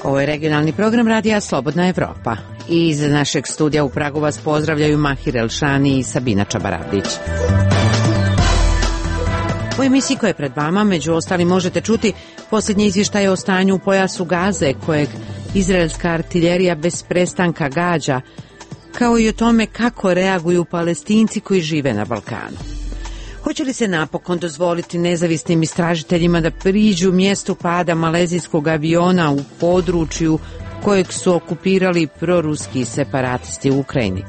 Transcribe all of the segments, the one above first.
Ovo je regionalni program radija Slobodna Evropa. Iz našeg studija u Pragu vas pozdravljaju Mahir Elšani i Sabina Čabaradić. U emisiji koja je pred vama, među ostalim, možete čuti posljednje izvještaje o stanju u pojasu Gaze, kojeg izraelska artiljerija bez prestanka gađa, kao i o tome kako reaguju Palestinci koji žive na Balkanu. Hoće li se napokon dozvoliti nezavisnim istražiteljima da priđu mjestu pada malezijskog aviona u području kojeg su okupirali proruski separatisti u Ukrajini?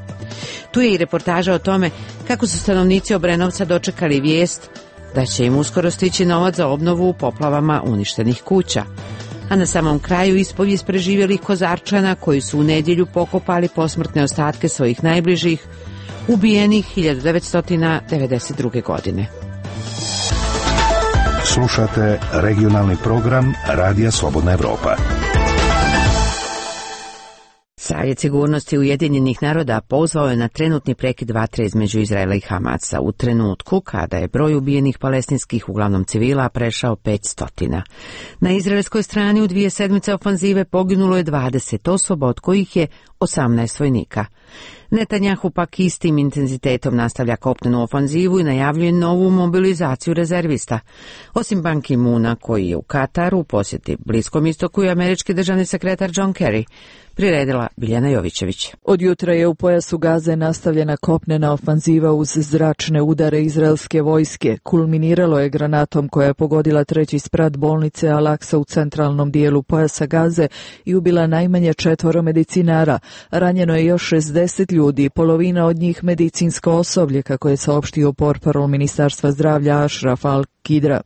Tu je i reportaža o tome kako su stanovnici Obrenovca dočekali vijest da će im uskoro stići novac za obnovu u poplavama uništenih kuća. A na samom kraju ispovijest preživjelih Kozarčana koji su u nedjelju pokopali posmrtne ostatke svojih najbližih, ubijenih 1992. godine. Slušate regionalni program Radija Slobodna Evropa. Savjet sigurnosti Ujedinjenih naroda pozvao je na trenutni prekid vatre između Izraela i Hamasa u trenutku kada je broj ubijenih palestinskih, uglavnom civila, prešao 500. Na izraelskoj strani u 2 sedmice ofanzive poginulo je 20 osoba, od kojih je 18 vojnika. Netanjahu pak istim intenzitetom nastavlja kopnenu ofanzivu i najavljuje novu mobilizaciju rezervista. Osim Ban Ki-moona, koji je u Kataru u posjeti Bliskom istoku, i američki državni sekretar John Kerry, priredila Biljana Jovićević. Od jutra je u pojasu Gaze nastavljena kopnena ofanziva uz zračne udare izraelske vojske. Kulminiralo je granatom koja je pogodila 3. sprat bolnice Al-Aqsa u centralnom dijelu pojasa Gaze i ubila najmanje 4 medicinara. Ranjeno je još 60 ljudi, polovina od njih medicinsko osoblje, kako je saopštio portparol Ministarstva zdravlja Ashraf Al-Kidra.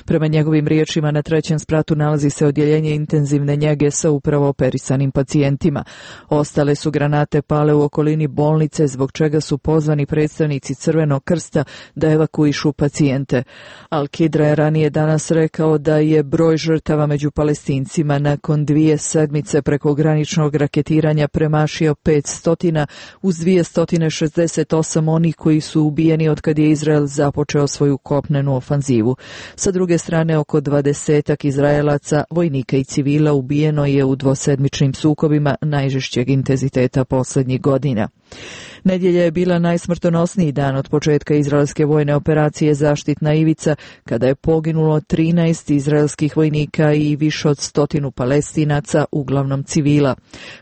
Prema njegovim riječima, na 3. spratu nalazi se odjeljenje intenzivne njege sa upravo operisanim pacijentima. Ostale su granate pale u okolini bolnice, zbog čega su pozvani predstavnici Crvenog krsta da evakuišu pacijente. Al-Kidra je ranije danas rekao da je broj žrtava među Palestincima nakon 2 sedmice prekograničnog raketiranja premašio 500, uz 268 onih koji su ubijeni otkad je Izrael započeo svoju kopnenu ofanzivu. Sa druge strane, oko 20 Izraelaca, vojnika i civila ubijeno je u dvosedmičnim sukobima najžešćeg intenziteta posljednjih godina. Nedjelja je bila najsmrtonosniji dan od početka izraelske vojne operacije Zaštitna ivica, kada je poginulo 13 izraelskih vojnika i više od 100 Palestinaca, uglavnom civila.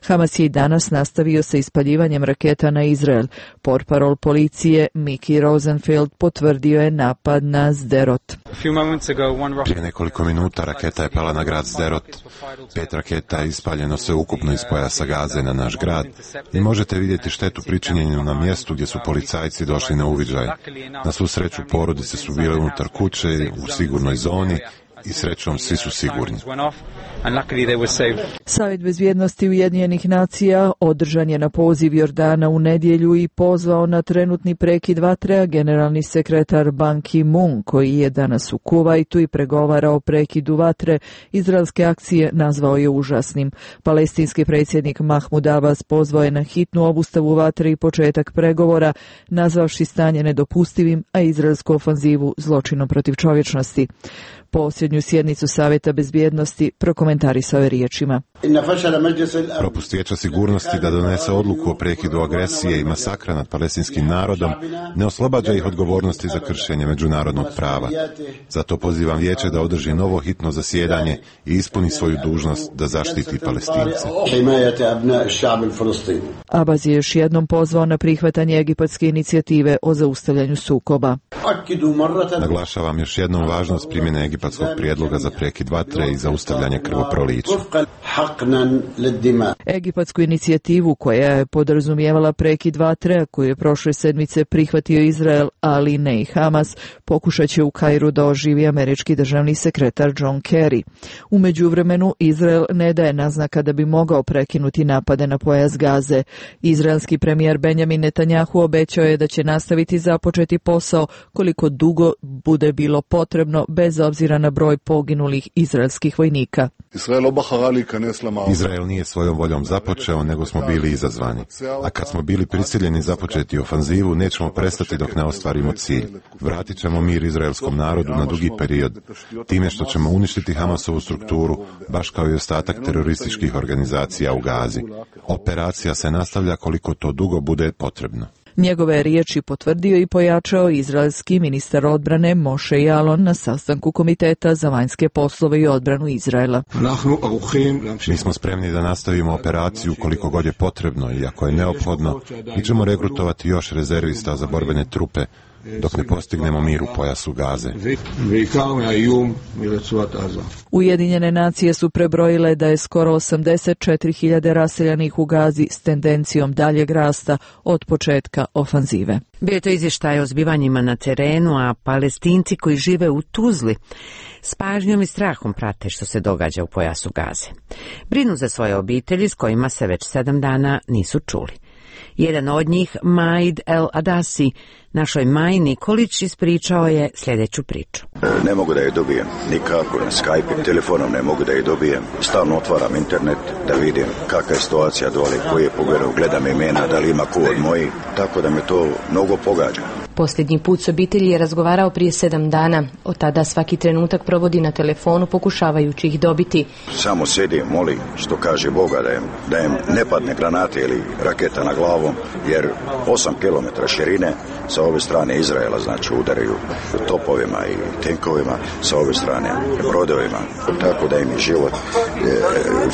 Hamas je i danas nastavio sa ispaljivanjem raketa na Izrael. Portparol policije Miki Rosenfeld potvrdio je napad na Sderot. Prije nekoliko minuta raketa je pala na grad Sderot. 5 raketa je ispaljeno sve ukupno iz pojasa Gaze na naš grad i možete vidjeti štetu pričinjenu na mjestu gdje su policajci došli na uviđaj. Na svu sreću porodice su bile unutar kuće u sigurnoj zoni i srećom svi su sigurni. Savjet bezbjednosti Ujedinjenih nacija održan je na poziv Jordana u nedjelju i pozvao na trenutni prekid vatre, a generalni sekretar Ban Ki-moon, koji je danas u Kuvajtu i pregovara o prekidu vatre, izraelske akcije nazvao je užasnim. Palestinski predsjednik Mahmud Abbas pozvao je na hitnu obustavu vatre i početak pregovora, nazvavši stanje nedopustivim, a izraelsku ofanzivu zločinom protiv čovječnosti. Posljednju sjednicu Savjeta bezbjednosti prokomentarisao je riječima: Propust Vijeća sigurnosti da donese odluku o prekidu agresije i masakra nad palestinskim narodom ne oslobađa ih odgovornosti za kršenje međunarodnog prava. Zato pozivam Vijeće da održi novo hitno zasjedanje i ispuni svoju dužnost da zaštiti Palestince. Abbas je još jednom pozvao na prihvatanje egipatske inicijative o zaustavljanju sukoba. Naglašavam još jednom važnost primjene egipatskog prijedloga za prekid vatre i zaustavljanje krvoprolića. Egipatsku inicijativu, koja je podrazumijevala prekid vatre, koju je prošle sedmice prihvatio Izrael, ali ne i Hamas, pokušat će u Kairu da oživi američki državni sekretar John Kerry. U međuvremenu, Izrael ne daje naznaka da bi mogao prekinuti napade na pojas Gaze. Izraelski premijer Benjamin Netanjahu obećao je da će nastaviti započeti posao koliko dugo bude bilo potrebno, bez obzira na broj poginulih izraelskih vojnika. Izrael nije svojom voljom započeo, nego smo bili izazvani. A kad smo bili prisiljeni započeti ofanzivu, nećemo prestati dok ne ostvarimo cilj. Vratit ćemo mir izraelskom narodu na dugi period, time što ćemo uništiti Hamasovu strukturu, baš kao i ostatak terorističkih organizacija u Gazi. Operacija se nastavlja koliko to dugo bude potrebno. Njegove riječi potvrdio i pojačao izraelski ministar odbrane Moshe Yaalon na sastanku Komiteta za vanjske poslove i odbranu Izraela. Mi smo spremni da nastavimo operaciju koliko god je potrebno i ako je neophodno, mi ćemo regrutovati još rezervista za borbene trupe dok ne postignemo mir u pojasu Gaze. Ujedinjene nacije su prebrojile da je skoro 84.000 raseljanih u Gazi s tendencijom daljeg rasta od početka ofanzive. Bio je to izvještaj o zbivanjima na terenu, a Palestinci koji žive u Tuzli s pažnjom i strahom prate što se događa u pojasu Gaze. Brinu za svoje obitelji s kojima se već 7 dana nisu čuli. Jedan od njih, Maid El Adasi, našoj Maji Nikolić, ispričao je sljedeću priču. Ne mogu da je dobijem nikako na Skype, telefonom ne mogu da je dobijem. Stalno otvaram internet da vidim kakva je situacija dole, koji je pogledao, gledam imena, da li ima ko od mojih, tako da me to mnogo pogađa. Posljednji put s obitelji je razgovarao prije 7 dana. Od tada svaki trenutak provodi na telefonu pokušavajući ih dobiti. Samo sedim, molim, što kaže Boga, da im ne padne granate ili raketa na glavom, jer 8 km širine sa ove strane Izraela, znači udaraju topovima i tenkovima, sa ove strane brodovima, tako da im je život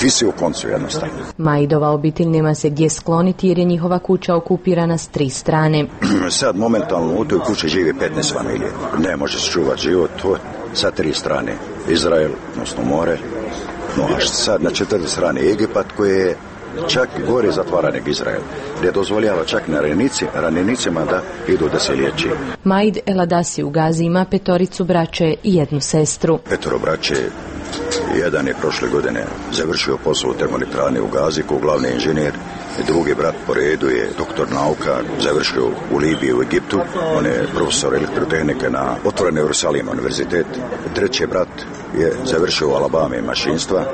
visi u koncu jednostavno. Maidova obitelj nema se gdje skloniti jer je njihova kuća okupirana s 3 strane. Sad momentalno u toj kući živi 15 familije. Ne može se čuvati život sa 3 strane. Izrael, odnosno more, no a sad na 4 strane Egipat koji je čak gore zatvaran nego Izrael, gdje dozvoljava čak ranjenicima da idu da se liječi. Maid El Adasi u Gazi ima 5 braće i 1 sestru. 5 braće, jedan je prošle godine završio posao u termoelektrani u Gazi kao glavni inženjer, drugi brat po redu je doktor nauka, završio u Libiji u Egiptu, on je profesor elektrotehnike na otvorenom Jerusalima univerzitet. Treći brat je završio u Alabami mašinstva,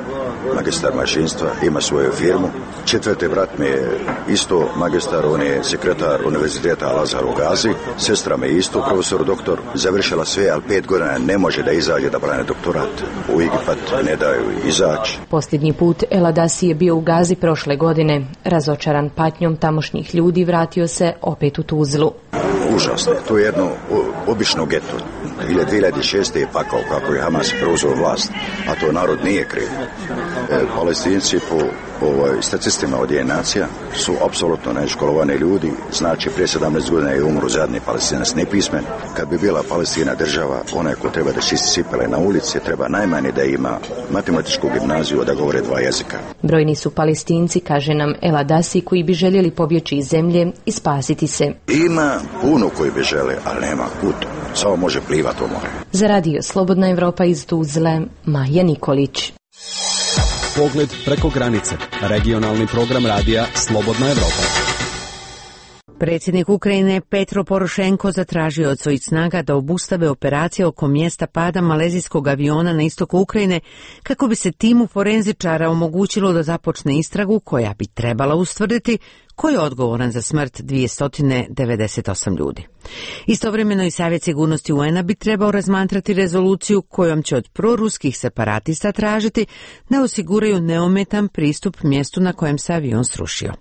magistar mašinstva, ima svoju firmu. 4. brat mi je isto magistar, on je sekretar univerziteta Al-Azhar u Gazi. Sestra mi je isto profesor doktor, završila sve, ali 5 godina ne može da izađe da brane doktorat. U Egipat ne daju izaći. Posljednji put El Adasi je bio u Gazi prošle godine. Razočaran patnjom tamošnjih ljudi vratio se opet u Tuzlu. Užasno, to je jedno obično geto. 2006. je pakao kako je Hamas preuzeo vlast, a to narod nije kriv. Palestinci po statistima od nacija su apsolutno neškolovani ljudi, znači prije 17 godina je umro zadnji Palestinac nepismen. Kad bi bila Palestina država, onaj ko treba da čisti cipele na ulici, treba najmanje da ima matematičku gimnaziju, da govore 2 jezika. Brojni su Palestinci, kaže nam El Adasi, koji bi željeli pobjeći iz zemlje i spasiti se. Ima puno koji bi žele, ali nema kud. Samo može plivati u more. Za radio Slobodna Evropa iz Tuzle, Maja Nikolić. Pogled preko granice. Regionalni program radija Slobodna Evropa. Predsjednik Ukrajine Petro Porošenko zatražio od svojih snaga da obustave operacije oko mjesta pada malezijskog aviona na istoku Ukrajine kako bi se timu forenzičara omogućilo da započne istragu koja bi trebala ustvrditi ko je odgovoran za smrt 298 ljudi. Istovremeno i Savjet sigurnosti UN-a bi trebao razmatrati rezoluciju kojom će od proruskih separatista tražiti da osiguraju neometan pristup mjestu na kojem se avion srušio.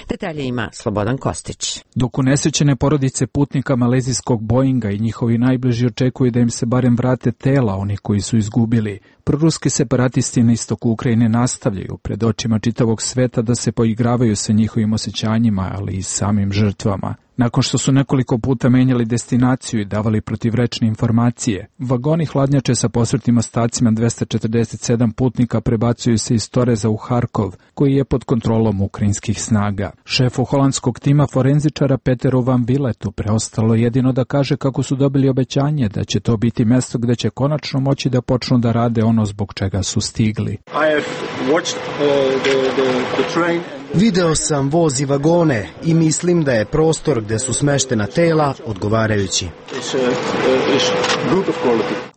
Detalje ima Slobodan Kostić. Dok unesrećene porodice putnika malezijskog Boeinga i njihovi najbliži očekuju da im se barem vrate tela onih koji su izgubili, proruski separatisti na istoku Ukrajine nastavljaju pred očima čitavog sveta da se poigravaju sa njihovim osjećanjima, ali i samim žrtvama. Nakon što su nekoliko puta menjali destinaciju i davali protivrečne informacije, vagoni hladnjače sa posmrtnim ostacima 247 putnika prebacuju se iz Toreza u Harkov, koji je pod kontrolom ukrajinskih snaga. Šefu holandskog tima forenzičara Peteru Van Villetu preostalo jedino da kaže kako su dobili obećanje da će to biti mjesto gde će konačno moći da počnu da rade ono zbog čega su stigli. Video sam voz i vagone i mislim da je prostor gde su smeštena tela odgovarajući.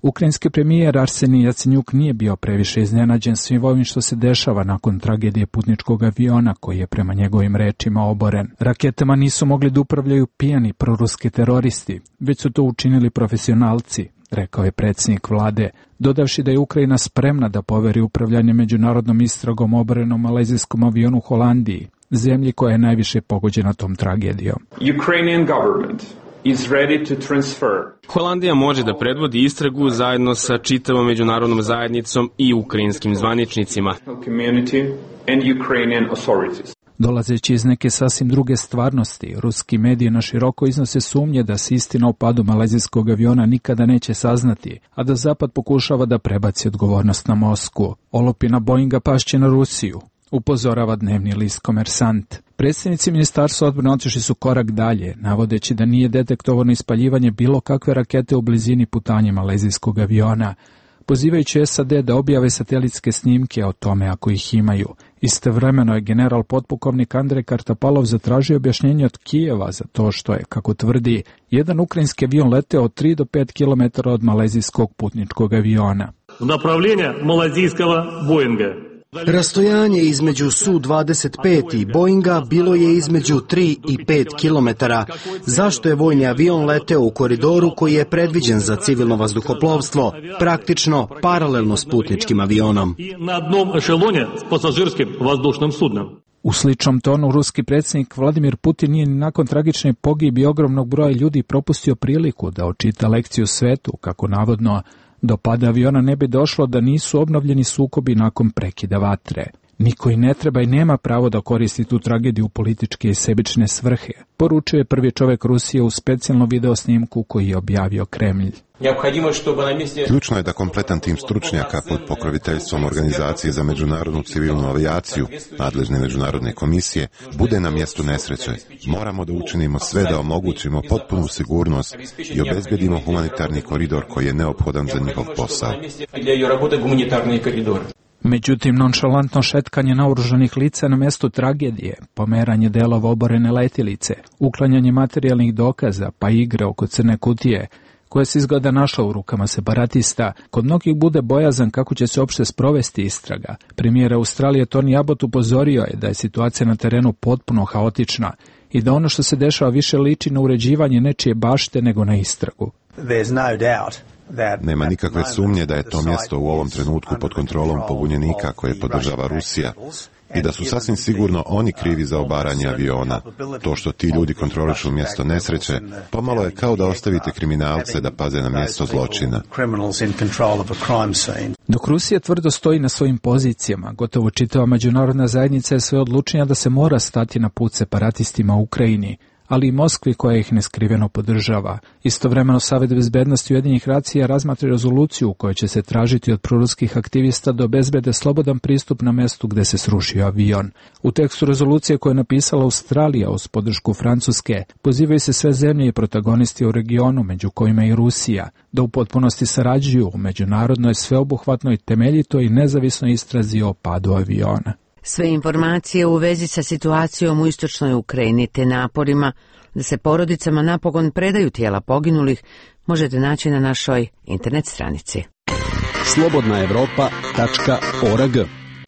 Ukrajinski premijer Arsenij Jacenjuk nije bio previše iznenađen svim ovim što se dešava nakon tragedije putničkog aviona koji je prema njegovim rečima oboren. Raketama nisu mogli da upravljaju pijani proruski teroristi, već su to učinili profesionalci, rekao je predsjednik vlade, dodavši da je Ukrajina spremna da poveri upravljanje međunarodnom istragom oborenom malezijskom avionu Holandiji, zemlji koja je najviše pogođena tom tragedijom. Holandija može da predvodi istragu zajedno sa čitavom međunarodnom zajednicom i ukrajinskim zvaničnicima. Dolazeći iz neke sasvim druge stvarnosti, ruski mediji na široko iznose sumnje da se istina o padu malezijskog aviona nikada neće saznati, a da Zapad pokušava da prebaci odgovornost na Moskvu. Olupina Boeinga pašće na Rusiju, upozorava dnevni list Komersant. Predstavnici ministarstva odbrane otišli su korak dalje, navodeći da nije detektovano ispaljivanje bilo kakve rakete u blizini putanja malezijskog aviona, pozivajući SAD da objave satelitske snimke o tome ako ih imaju. Istovremeno je general potpukovnik Andrej Kartapalov zatražio objašnjenje od Kijeva za to što je, kako tvrdi, jedan ukrajinski avion leteo od 3 do 5 km od malezijskog putničkog aviona. Направление малазийского Боинга. Rastojanje između Su-25 i Boeinga bilo je između 3 i 5 km. Zašto je vojni avion leteo u koridoru koji je predviđen za civilno vazduhoplovstvo, praktično paralelno s putničkim avionom? U sličnom tonu ruski predsjednik Vladimir Putin nije ni nakon tragične pogibi ogromnog broja ljudi propustio priliku da očita lekciju svetu, kako navodno do pada aviona ne bi došlo da nisu obnovljeni sukobi nakon prekida vatre. Niko i ne treba i nema pravo da koristi tu tragediju u političke i sebične svrhe, poručio je prvi čovjek Rusije u specijalnom videosnimku koji je objavio Kremlj. Ključno je da kompletan tim stručnjaka pod pokroviteljstvom Organizacije za međunarodnu civilnu avijaciju, nadležne međunarodne komisije, bude na mjestu nesreće. Moramo da učinimo sve da omogućimo potpunu sigurnost i obezbedimo humanitarni koridor koji je neophodan za njihov posao. Međutim, nonšalantno šetkanje naoružanih lica na mjestu tragedije, pomeranje delova oborene letilice, uklanjanje materijalnih dokaza, pa igre oko crne kutije, koja se izgleda našla u rukama separatista, kod mnogih bude bojazan kako će se uopšte sprovesti istraga. Premijer Australije Tony Abbott upozorio je da je situacija na terenu potpuno haotična i da ono što se dešava više liči na uređivanje nečije bašte nego na istragu. Nema nikakve sumnje da je to mjesto u ovom trenutku pod kontrolom pobunjenika koje podržava Rusija i da su sasvim sigurno oni krivi za obaranje aviona. To što ti ljudi kontrolišu mjesto nesreće, pomalo je kao da ostavite kriminalce da paze na mjesto zločina. Dok Rusija tvrdo stoji na svojim pozicijama, gotovo čitava međunarodna zajednica je sve odlučnija da se mora stati na put separatistima u Ukrajini, ali i Moskvi koja ih neskriveno podržava. Istovremeno Savet bezbednosti Ujedinjenih nacija razmatra rezoluciju u kojoj će se tražiti od proruskih aktivista da obezbede slobodan pristup na mjestu gde se srušio avion. U tekstu rezolucije koje je napisala Australija uz podršku Francuske, pozivaju se sve zemlje i protagonisti u regionu, među kojima i Rusija, da u potpunosti sarađuju u međunarodnoj sveobuhvatnoj, temeljitoj i nezavisnoj istrazi o padu aviona. Sve informacije u vezi sa situacijom u istočnoj Ukrajini te naporima da se porodicama napokon predaju tijela poginulih možete naći na našoj internet stranici. slobodnaevropa.org.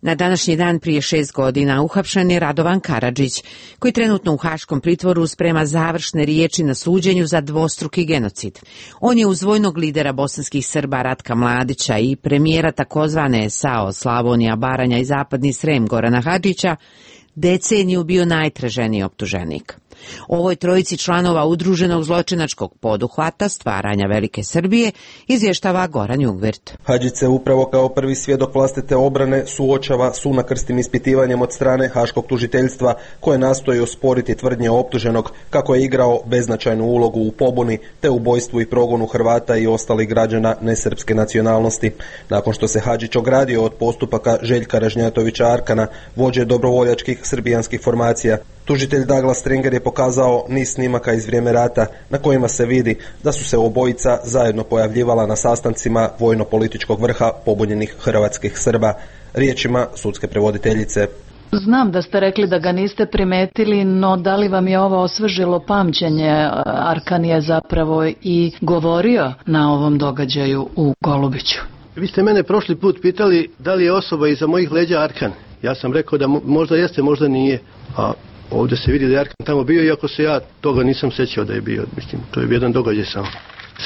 Na današnji dan prije 6 godina uhapšen je Radovan Karadžić, koji trenutno u haškom pritvoru sprema završne riječi na suđenju za dvostruki genocid. On je uz vojnog lidera bosanskih Srba Ratka Mladića i premijera takozvane SAO Slavonija, Baranja i Zapadni Srem Gorana Hadžića deceniju bio najtraženiji optuženik. Ovoj trojici članova udruženog zločinačkog poduhvata stvaranja Velike Srbije izvještava Goran Jungvirt. Hadžić se upravo kao prvi svjedok vlastite obrane suočava s unakrstim ispitivanjem od strane haškog tužiteljstva koje nastoji osporiti tvrdnje optuženog kako je igrao beznačajnu ulogu u pobuni te ubojstvu i progonu Hrvata i ostalih građana nesrpske nacionalnosti. Nakon što se Hadžić ogradio od postupaka Željka Ražnjatovića Arkana, vođe dobrovoljačkih srbijanskih formacija, tužitelj Douglas Stringer je pokazao niz snimaka iz vrijeme rata na kojima se vidi da su se obojica zajedno pojavljivala na sastancima vojno-političkog vrha pobunjenih hrvatskih Srba. Riječima sudske prevoditeljice. Znam da ste rekli da ga niste primetili, no da li vam je ovo osvežilo pamćenje? Arkan je zapravo i govorio na ovom događaju u Golubiću. Vi ste mene prošli put pitali da li je osoba iza mojih leđa Arkan. Ja sam rekao da možda jeste, možda nije. A ovdje se vidi da je Arkan tamo bio, iako se ja toga nisam sećao da je bio. Mislim, to je jedan događaj samo.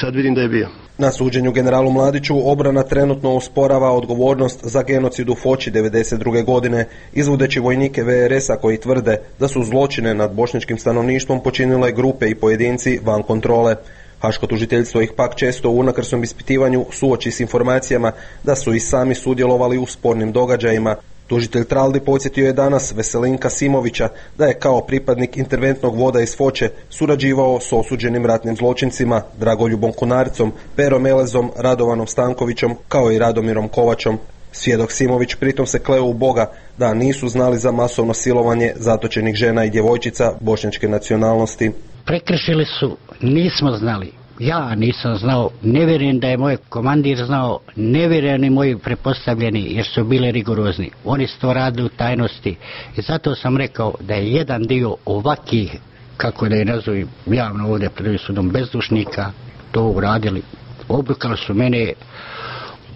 Sad vidim da je bio. Na suđenju generalu Mladiću obrana trenutno osporava odgovornost za genocid u Foči 1992. godine, izvodeći vojnike VRS-a koji tvrde da su zločine nad bošnjačkim stanovništvom počinile grupe i pojedinci van kontrole. Haško tužiteljstvo ih pak često u unakrsnom ispitivanju suoči s informacijama da su i sami sudjelovali u spornim događajima. Tužitelj Traldi podsjetio je danas Veselinka Simovića da je kao pripadnik interventnog voda iz Foče surađivao s osuđenim ratnim zločincima Dragoljubom Kunarcom, Perom Elezom, Radovanom Stankovićom kao i Radomirom Kovačom. Svjedok Simović pritom se kleo u Boga da nisu znali za masovno silovanje zatočenih žena i djevojčica bošnjačke nacionalnosti. Prekršili su, nismo znali. Ja nisam znao, ne vjerujem da je moj komandir znao, ne vjerujem ni moji prepostavljeni jer su bili rigorozni. Oni su to radili u tajnosti i zato sam rekao da je jedan dio ovakih, kako da je nazovem javno ovdje pred sudom, bezdušnika to uradili. Obrukali su mene,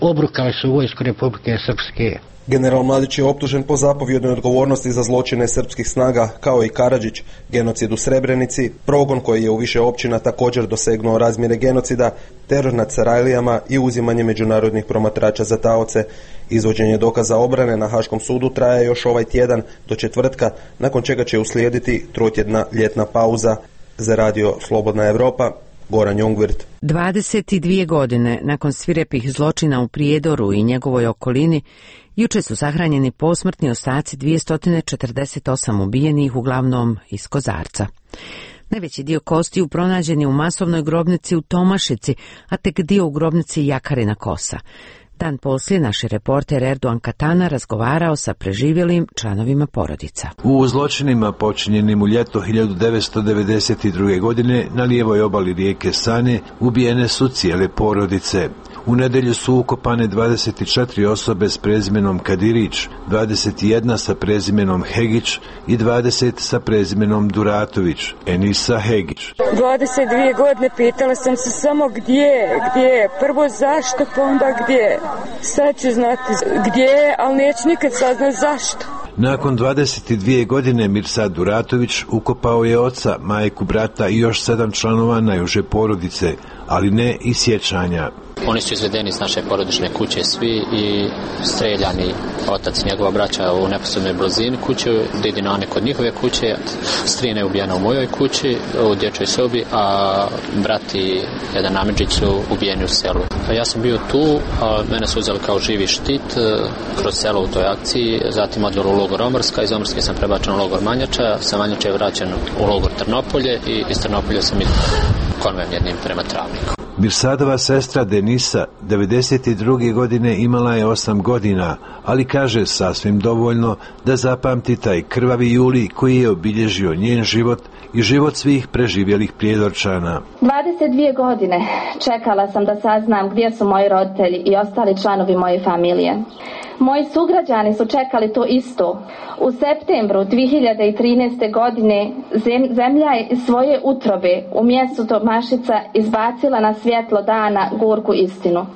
obrukali su vojsku Republike Srpske. General Mladić je optužen po zapovjednoj odgovornosti za zločine srpskih snaga, kao i Karadžić, genocid u Srebrenici, progon koji je u više općina također dosegnuo razmjere genocida, teror nad Sarajlijama i uzimanje međunarodnih promatrača za taoce. Izvođenje dokaza obrane na Haškom sudu traje još ovaj tjedan do četvrtka, nakon čega će uslijediti trotjedna ljetna pauza. Za radio Slobodna Evropa, Goran Jungvirt. 22 godine nakon svirepih zločina u Prijedoru i njegovoj okolini, juče su sahranjeni posmrtni ostaci 248 ubijenih, uglavnom iz Kozarca. Najveći dio kostiju pronađen je u masovnoj grobnici u Tomašici, a tek dio u grobnici Jakarina Kosa. Dan poslije naš reporter Erdogan Katana razgovarao sa preživjelim članovima porodica. U zločinima počinjenim u ljeto 1992. godine na lijevoj obali rijeke Sane ubijene su cijele porodice. U nedjelju su ukopane 24 osobe s prezimenom Kadirić, 21 sa prezimenom Hegić i 20 sa prezimenom Duratović, Enisa Hegić. 22 godine pitala sam se samo gdje, prvo zašto, pa onda gdje. Sad ću znati gdje, ali neću nikad saznati zašto. Nakon 22 godine Mirsad Duratović ukopao je oca, majku, brata i još 7 članova najuže porodice, ali ne i sjećanja. Oni su izvedeni iz naše porodične kuće svi i streljani, otac i njegova braća u neposrednoj blizini kuće, didina Ane kod njihove kuće, strina je ubijena u mojoj kući, u dječjoj sobi, a brat i jedan Namidžić su ubijeni u selu. Ja sam bio tu, a mene su uzeli kao živi štit kroz selo u toj akciji, zatim odveli u logor Omrska, iz Omrske sam prebačen u logor Manjača, sa Manjača je vraćen u logor Trnopolje i iz Trnopolje sam i konvojem jednim prema Travniku. Mirsadova sestra Denisa 92. godine imala je 8 godina, ali kaže sasvim dovoljno da zapamti taj krvavi juli koji je obilježio njen život i život svih preživjelih Prijedorčana. 22 godine čekala sam da saznam gdje su moji roditelji i ostali članovi moje familije. Moji sugrađani su čekali to isto. U septembru 2013. godine zemlja je iz svoje utrobe u mjestu Tomašica izbacila na svjetlo dana gorku istinu.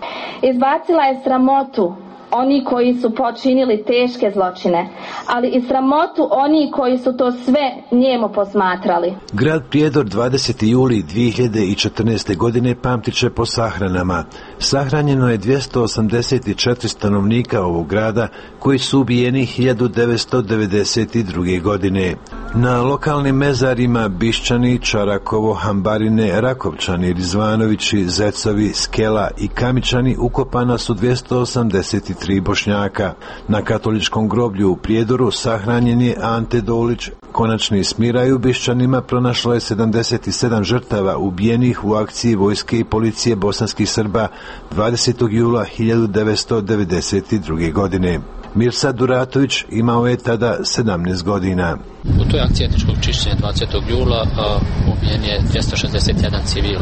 Izbacila je sramotu oni koji su počinili teške zločine, ali i sramotu oni koji su to sve njemo posmatrali. Grad Prijedor 20. juli 2014. godine pamtit će po sahranama. Sahranjeno je 284 stanovnika ovog grada koji su ubijeni 1992. godine. Na lokalnim mezarima Bišćani, Čarakovo, Hambarine, Rakovčani, Rizvanovići, Zecovi, Skela i Kamičani ukopana su 283 Bošnjaka. Na katoličkom groblju u Prijedoru sahranjen je Ante Dolić. Konačni smiraj u Bišćanima pronašlo je 77 žrtava ubijenih u akciji vojske i policije bosanskih Srba 20. jula 1992. godine. Mirsad Duratović imao je tada 17 godina. U toj akciji etničkog čišćenja 20. jula ubijen je 261 civil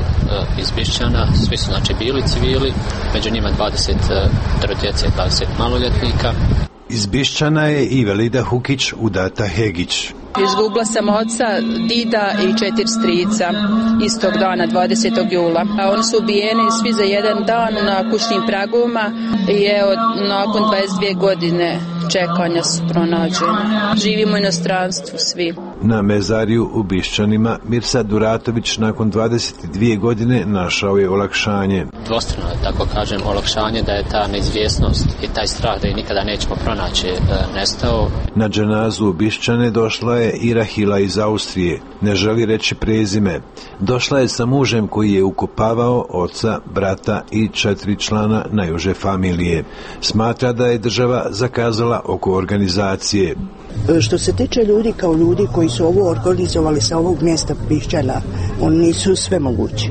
iz Bišćana, svi su znači bili civili, među njima 20 djece, 20 maloljetnika. Iz Bišćana je i Velida Hukić udata Hegić. Izgubila sam oca, dida i 4 strica istog dana, 20. jula. A oni su ubijeni svi za jedan dan na kućnim pragovima i evo, nakon 22 godine čekanja su pronađeni. Živimo u inostranstvu svi. Na mezariju u Bišćanima Mirsad Duratović nakon 22 godine našao je olakšanje. Dvostrano, tako kažem, olakšanje da je ta neizvjesnost i taj strah da je nikada nećemo pronaći nestao. Na dženazu u Bišćane došla je i Rahila iz Austrije. Ne želi reći prezime. Došla je sa mužem koji je ukopavao oca, brata i 4 člana najuže familije. Smatra da je država zakazala oko organizacije. Što se tiče ljudi kao ljudi koji su ovo organizovali sa ovog mjesta Bišćana, oni nisu sve mogući.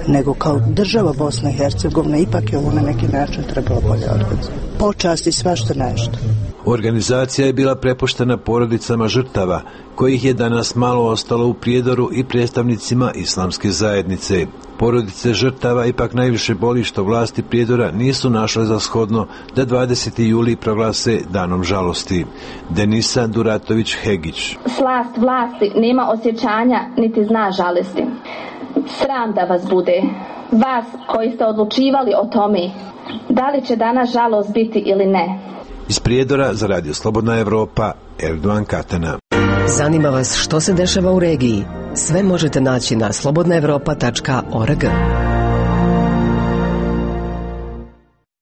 Nego kao država Bosna i Hercegovina ipak je ovo na neki način trebalo bolje organizovati. Počasti svašta nešto. Organizacija je bila prepuštena porodicama žrtava, kojih je danas malo ostalo u Prijedoru i predstavnicima islamske zajednice. Porodice žrtava ipak najviše boli što vlasti Prijedora nisu našle za shodno da 20. juli proglase danom žalosti. Denisa Duratović Hegić. Slast vlasti nema osjećanja niti zna žalosti. Sram da vas bude, vas koji ste odlučivali o tome, da li će danas žalost biti ili ne. Iz Prijedora za Radio Slobodna Evropa, Erdogan Katana. Zanima vas što se dešava u regiji? Sve možete naći na slobodnaevropa.org.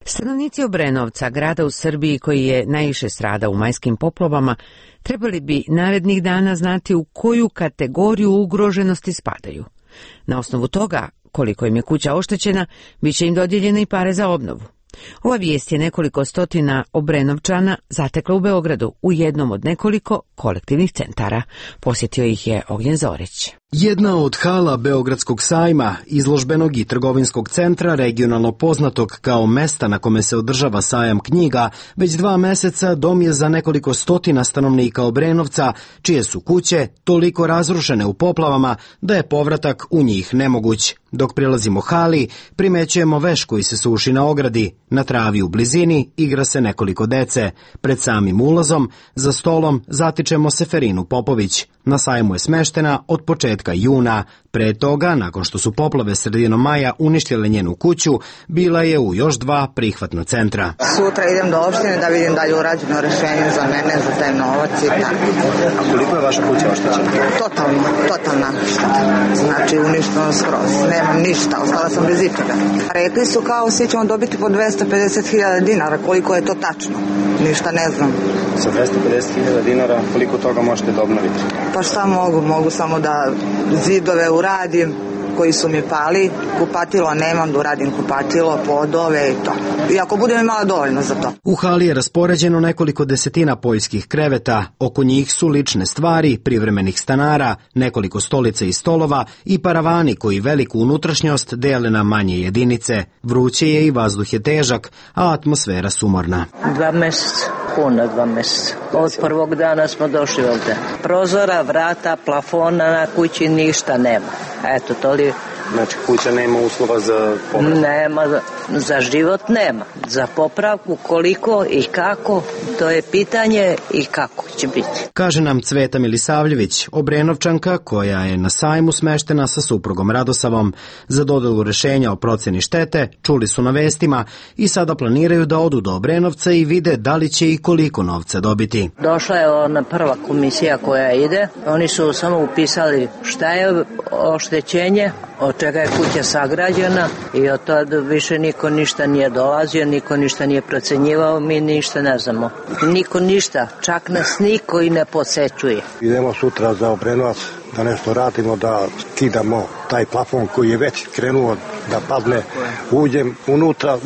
Stanovnici Obrenovca, grada u Srbiji koji je najviše stradao u majskim poplavama, trebali bi narednih dana znati u koju kategoriju ugroženosti spadaju. Na osnovu toga, koliko im je kuća oštećena, bit će im dodijeljene i pare za obnovu. Ova vijest je nekoliko stotina Obrenovčana zatekla u Beogradu u jednom od nekoliko kolektivnih centara. Posjetio ih je Ognjen Zorić. Jedna od hala Beogradskog sajma, izložbenog i trgovinskog centra, regionalno poznatog kao mesta na kome se održava sajam knjiga, već 2 meseca dom je za nekoliko stotina stanovnika Obrenovca, čije su kuće toliko razrušene u poplavama da je povratak u njih nemoguć. Dok prilazimo hali, primećujemo veš koji se suši na ogradi. Na travi u blizini igra se nekoliko dece. Pred samim ulazom, za stolom, zatičemo Seferinu Popović. Na sajmu je smeštena od početka juna. Pre toga, nakon što su poplave sredinom maja uništile njenu kuću, bila je u još 2 prihvatna centra. Sutra idem do opštine da vidim da je urađeno rešenje za mene, za taj novac i tako. A koliko je vaša kuća oštećena? Totalna šteta. Znači uništeno skroz. Nemam ništa, ostala sam bez ičega. Rekli su kao svi ćemo dobiti po 250.000 dinara, koliko je to tačno? Ništa ne znam. Sa 250.000 dinara koliko toga možete da obnoviti? Pa šta mogu samo da zidove uradim koji su mi pali, kupatilo nemam, da uradim kupatilo, podove i to. I ako budem imala dovoljno za to. U hali je raspoređeno nekoliko desetina poljskih kreveta, oko njih su lične stvari, privremenih stanara, nekoliko stolica i stolova i paravani koji veliku unutrašnjost dele na manje jedinice. Vruće je i vazduh je težak, a atmosfera sumorna. 2 meseca. Puno 2 meseca. Od prvog dana smo došli ovdje. Prozora, vrata, plafona na kući ništa nema. Eto, to li... Znači, kuća nema uslova za popravku? Nema, za život nema. Za popravku koliko i kako, to je pitanje i kako će biti. Kaže nam Cveta Milisavljević, Obrenovčanka koja je na sajmu smeštena sa suprugom Radosavom. Za dodelu rešenja o procjeni štete čuli su na vestima i sada planiraju da odu do Obrenovca i vide da li će i koliko novca dobiti. Došla je ona prva komisija koja ide. Oni su samo upisali šta je oštećenje, od čega je kuća sagrađena i od tada više niko ništa nije dolazio, niko ništa nije procenjivao, mi ništa ne znamo. Niko ništa, čak nas niko i ne posećuje. Idemo sutra za Obrenovac da nešto radimo, da skidamo taj plafon koji je već krenuo da padne. Uđem unutra,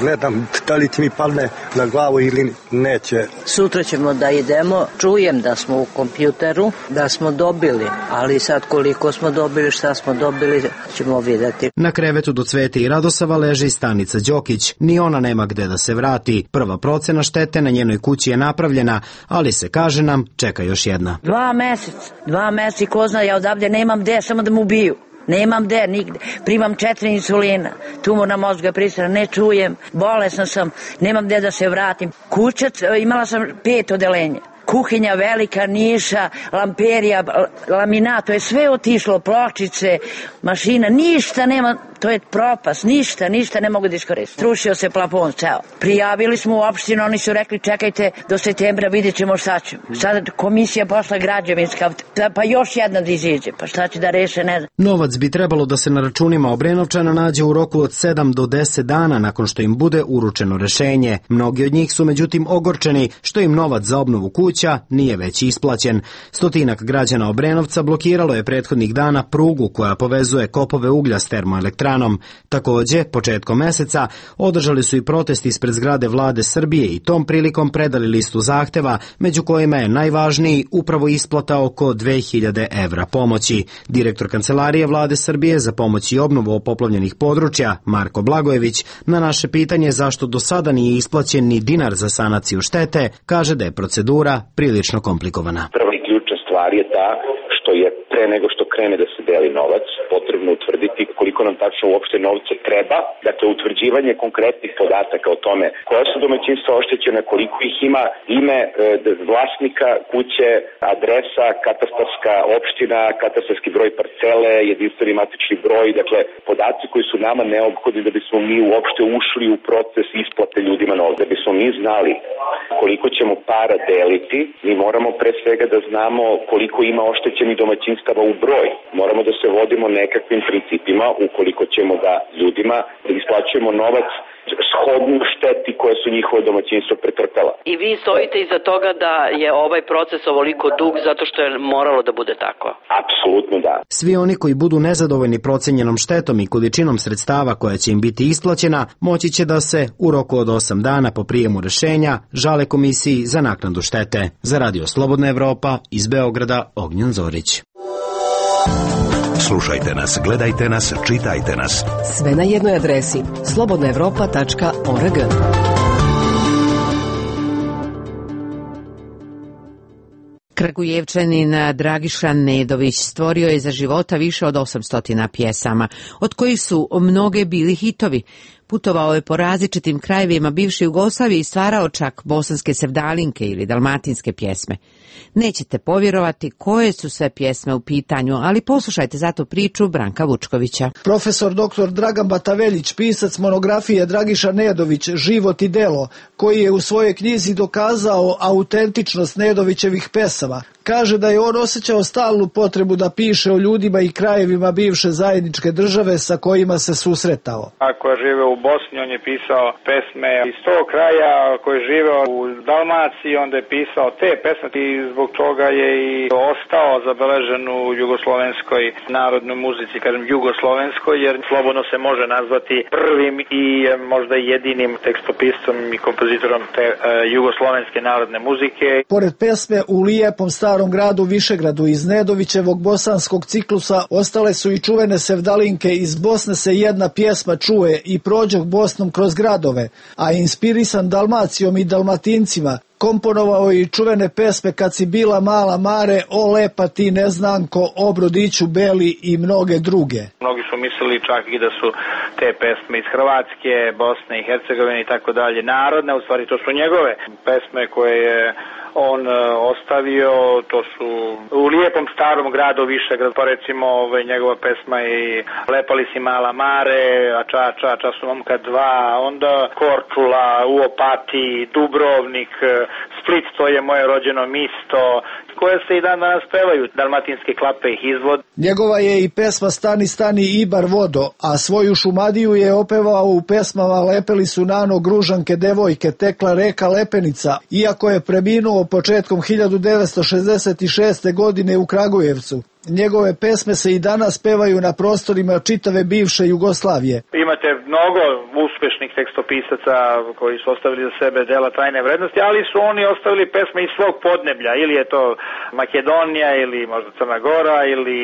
gledam da li mi padne na glavu ili neće. Sutra ćemo da idemo, čujem da smo u kompjuteru, da smo dobili, ali sad koliko smo dobili, šta smo dobili, ćemo vidjeti. Na krevetu do Cvete i Radosava leži Stanica Đokić. Ni ona nema gde da se vrati. Prva procena štete na njenoj kući je napravljena, ali se, kaže nam, čeka još jedna. 2 meseca i ko zna, ja odavde nemam gde, samo da mu ubiju. nemam gde, nigde. Primam 4 insulina, tumor na mozga prisutna, ne čujem, bolesna sam, nemam gde da se vratim. Kuća, imala sam 5 odeljenja. Kuhinja velika, niša, lamperija, laminat, to je sve otišlo, pločice, mašina, ništa nema, to je propast, ništa ne mogu da iskoristiti. Srušio se plafon, ceo. Prijavili smo u opštinu, oni su rekli čekajte do septembra, vidjet ćemo šta ćemo. Sad komisija posla građevinska, pa još jedna da iziđe, pa šta će da reše, ne znam. Novac bi trebalo da se na računima Obrenovčana nađe u roku od 7 do 10 dana nakon što im bude uručeno rešenje. Mnogi od njih su međutim ogorčeni što im novac za obnovu kuća nije već isplaćen. Stotinak građana Obrenovca blokiralo je prethodnih dana prugu koja povezuje kopove uglja s termoelektranom. Takođe, početkom meseca održali su i protest ispred zgrade Vlade Srbije i tom prilikom predali listu zahteva, među kojima je najvažniji upravo isplata oko 2000 evra pomoći. Direktor Kancelarije Vlade Srbije za pomoć i obnovu poplavljenih područja, Marko Blagojević, na naše pitanje zašto do sada nije isplaćen ni dinar za sanaciju štete, kaže da je procedura prilično komplikovana. Prva i ključna stvar je ta što je pre nego što krene da se deli novac, potrebno utvrditi koliko nam tačno uopšte novca treba. Dakle, utvrđivanje konkretnih podataka o tome koja su domaćinstva oštećena, koliko ih ima, ime vlasnika kuće, adresa, katastarska opština, katastarski broj parcele, jedinstveni matični broj, dakle, podaci koji su nama neophodni da bismo mi uopšte ušli u proces isplate ljudima novca. Da bismo mi znali koliko ćemo para deliti, mi moramo pre svega da znamo koliko ima oštećenih domaćinstava u broj. Moramo da se vodimo nekakvim principima ukoliko ćemo da ljudima isplaćujemo novac shodno šteti koje su njihove domaćinstva pretrpela. I vi stojite iza toga da je ovaj proces ovoliko dug zato što je moralo da bude tako? Apsolutno da. Svi oni koji budu nezadovoljni procenjenom štetom i količinom sredstava koja će im biti isplaćena, moći će da se u roku od 8 dana po prijemu rešenja žale Komisiji za naknadu štete. Za Radio Slobodna Evropa iz Beograda, Ognjen Zorić. Slušajte nas, gledajte nas, čitajte nas. Sve na jednoj adresi slobodnaevropa.org. Kragujevčanin Dragiša Nedović stvorio je za života više od 800 pjesama, od kojih su mnoge bili hitovi. Putovao je po različitim krajevima bivše Jugoslavije i stvarao čak bosanske sevdalinke ili dalmatinske pjesme. Nećete povjerovati koje su sve pjesme u pitanju, ali poslušajte zato priču Branka Vučkovića. Profesor dr. Dragan Bataveljić, pisac monografije Dragiša Nedović, Život i delo, koji je u svojoj knjizi dokazao autentičnost Nedovićevih pesama, kaže da je on osjećao stalnu potrebu da piše o ljudima i krajevima bivše zajedničke države sa kojima se susretao. Ako je živeo u Bosni, on je pisao pesme iz tog kraja, ako je živeo u Dalmaciji, onda je pisao te pesme i zbog toga je i ostao zabeležen u jugoslovenskoj narodnoj muzici, kažem jugoslovenskoj, jer slobodno se može nazvati prvim i možda jedinim tekstopiscom i kompozitorom te jugoslovenske narodne muzike. Pored pesme U lijepom starom gradu Višegradu iz Nedovićevog bosanskog ciklusa ostale su i čuvene sevdalinke Iz Bosne se jedna pjesma čuje i Prođoh Bosnom kroz gradove, a inspirisan Dalmacijom i Dalmatincima komponovao i čuvene pesme Kad si bila mala mare, O lepa ti neznanko, O brodiću beli i mnoge druge. Mnogi su mislili čak i da su te pesme iz Hrvatske, Bosne i Hercegovine i tako dalje narodne, u stvari to su njegove pesme koje je on ostavio, to su U lijepom starom gradu Višegrad, pa recimo njegova pesma i Lepali si mala mare, a ča su momka dva, onda Korčula, u Opatiji, Dubrovnik, Split, to je moje rođeno misto, koje se i dan danas pevaju, dalmatinske klape ih izvod. Njegova je i pesma Stani, stani Ibar vodo, a svoju Šumadiju je opevao u pesmama Lepeli su nano gružanke devojke, tekla reka Lepenica, iako je preminuo početkom 1966. godine u Kragujevcu. Njegove pesme se i danas pevaju na prostorima čitave bivše Jugoslavije. Imate mnogo uspešnih tekstopisaca koji su ostavili za sebe dela trajne vrednosti, ali su oni ostavili pesme iz svog podneblja, ili je to Makedonija, ili možda Crna Gora, ili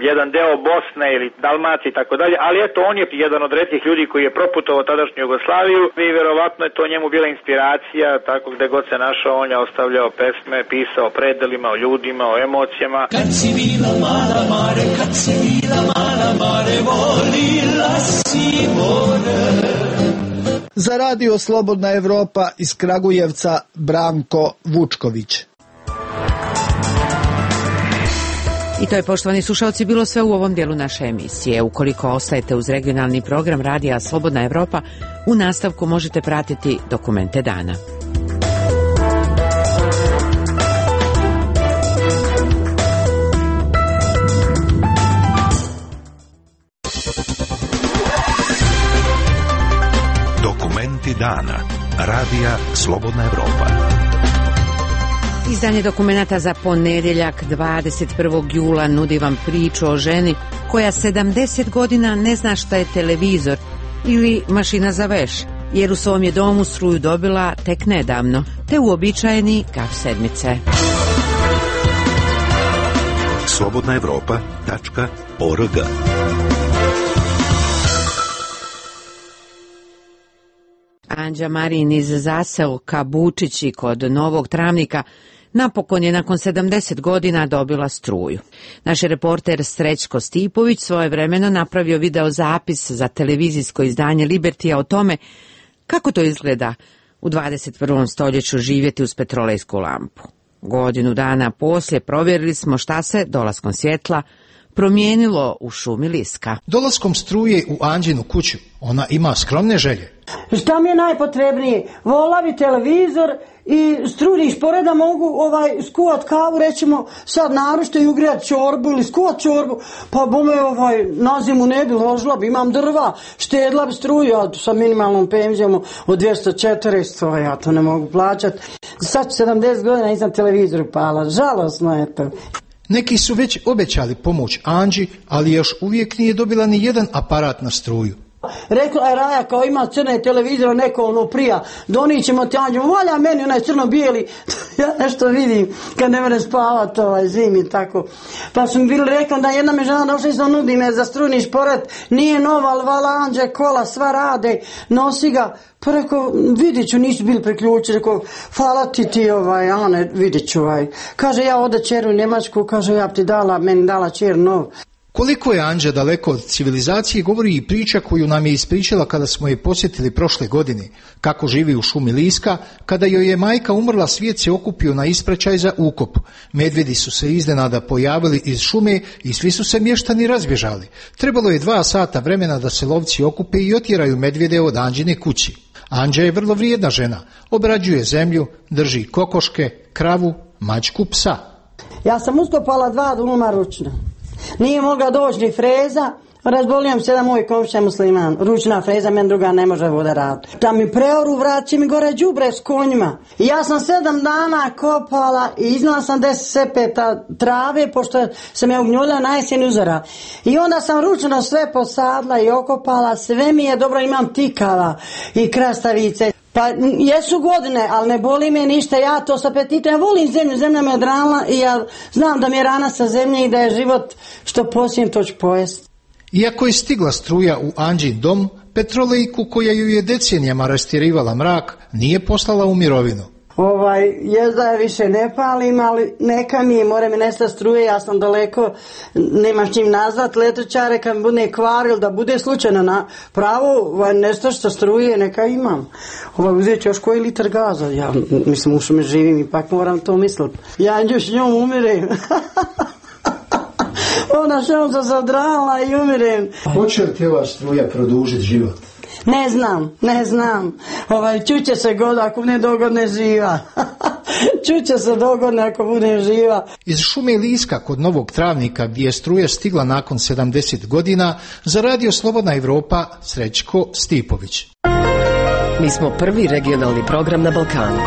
jedan deo Bosne, ili Dalmacije i tako dalje, ali eto, on je jedan od retkih ljudi koji je proputovao tadašnju Jugoslaviju i verovatno je to njemu bila inspiracija, tako gde god se našao, on je ostavljao pesme, pisao o predelima, o ljudima, o emocijama. Kad si bila mala mare, kad si bila mala mare, volila si more. Za radio Slobodna Evropa iz Kragujevca Branko Vučković. I to je, poštovani slušalci, bilo sve u ovom dijelu naše emisije. Ukoliko ostajete uz regionalni program Radija Slobodna Evropa, u nastavku možete pratiti dokumente dana. Dokumenti dana. Radija Slobodna Evropa. Izdanje dokumenata za ponedjeljak 21. jula nudi vam priču o ženi koja 70 godina ne zna šta je televizor ili mašina za veš, jer u svom je domu struju dobila tek nedavno, te uobičajeni gaf sedmice. slobodnaevropa.org. Anđa Marin iz zaseoka Bučići kod Novog Travnika napokon je nakon 70 godina dobila struju. Naš reporter Srećko Stipović svojevremeno napravio video zapis za televizijsko izdanje Libertija o tome kako to izgleda u 21. stoljeću živjeti uz petrolejsku lampu. Godinu dana poslije provjerili smo šta se dolaskom svjetla promijenilo u šumi Liska. Dolaskom struje u Anđinu kuću ona ima skromne želje. Šta mi je najpotrebnije? Vola bi televizor i strujni špored da mogu skuvat kavu, rećemo sad naručite i ugrijat čorbu ili skuvat čorbu, pa bome na zimu ne bi ložila bi, imam drva, štedla bi struju sa minimalnom penzijom od 240, ja to ne mogu plaćati. Sad 70 godina nisam televizor upala, žalosno je to. Neki su već obećali pomoć Anđi, ali još uvijek nije dobila ni jedan aparat na struju. Rekla je Raja kao ima crne televizora, neko prija, donijet ćemo ti Anđu, valja meni onaj crno-bijeli, ja nešto vidim kad ne mene spavati zimi tako. Pa su mi bili rekli da jedna me žena došla i se nudi me za strujni šporet, nije nova, ali vala Anđe, kola, sva rade, nosi ga. Pa rekao, vidit ću, nisu bili priključili, rekao, hvala ti Ane, vidit ću Kaže, ja ode čeru u Njemačku, kaže, ja ti dala, meni dala čer nov. Koliko je Anđa daleko od civilizacije govori i priča koju nam je ispričala kada smo je posjetili prošle godine. Kako živi u šumi Liska, kada joj je majka umrla, svijet se okupio na ispraćaj za ukop. Medvjedi su se iznenada pojavili iz šume i svi su se mještani razbježali. Trebalo je 2 sata vremena da se lovci okupe i otjeraju medvjede od Anđine kući. Anđa je vrlo vrijedna žena, obrađuje zemlju, drži kokoške, kravu, mačku, psa. Ja sam uskopala 2 duma ručno. Nije mogla doći ni freza, razbolijem se da moj komšija musliman, ručna freza, meni druga ne može voda raditi. Da mi preoru vraći mi gore đubre s konjima. I ja sam 7 dana kopala i iznala sam 10 sepeta trave, pošto sam ja ugnjulja na jesen uzora. I onda sam ručno sve posadla i okopala, sve mi je dobro, imam tikava i krastavice. Pa jesu godine, ali ne boli me ništa, ja to s apetitom, ja volim zemlju, zemlja me odrala i ja znam da mi je rana sa zemlje i da je život što posijem to ću pojesti. Iako je stigla struja u Anđin dom, petrolejku koja ju je decenijama rastjerivala mrak nije poslala u mirovinu. Jezda je više ne palim, ali neka mi je, mora mi nestati struje, ja sam daleko, nemaš čim nazvat letučare kad mi bude kvaril, da bude slučajno na pravu, nestašta struje, neka imam. Uzet ću još koji litar gaza, ja mislim u šume živim, ipak moram to misliti. Ja još njom umirem. Ona šom se zadrala i umirem. Hoće li te ova struja produžiti život? Ne znam. Čuće se god ako ne dogodne živa. Čuće se dogodne ako bude živa. Iz šume Liska kod Novog Travnika, gdje je struja stigla nakon 70 godina, za Radio Slobodna Evropa Srećko Stipović. Mi smo prvi regionalni program na Balkanu.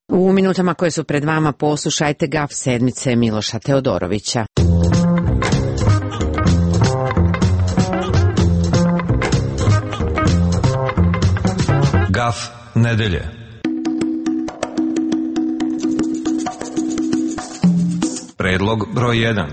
U minutama koje su pred vama poslušajte gaf sedmice Miloša Teodorovića. Gaf nedelje. Predlog broj 1.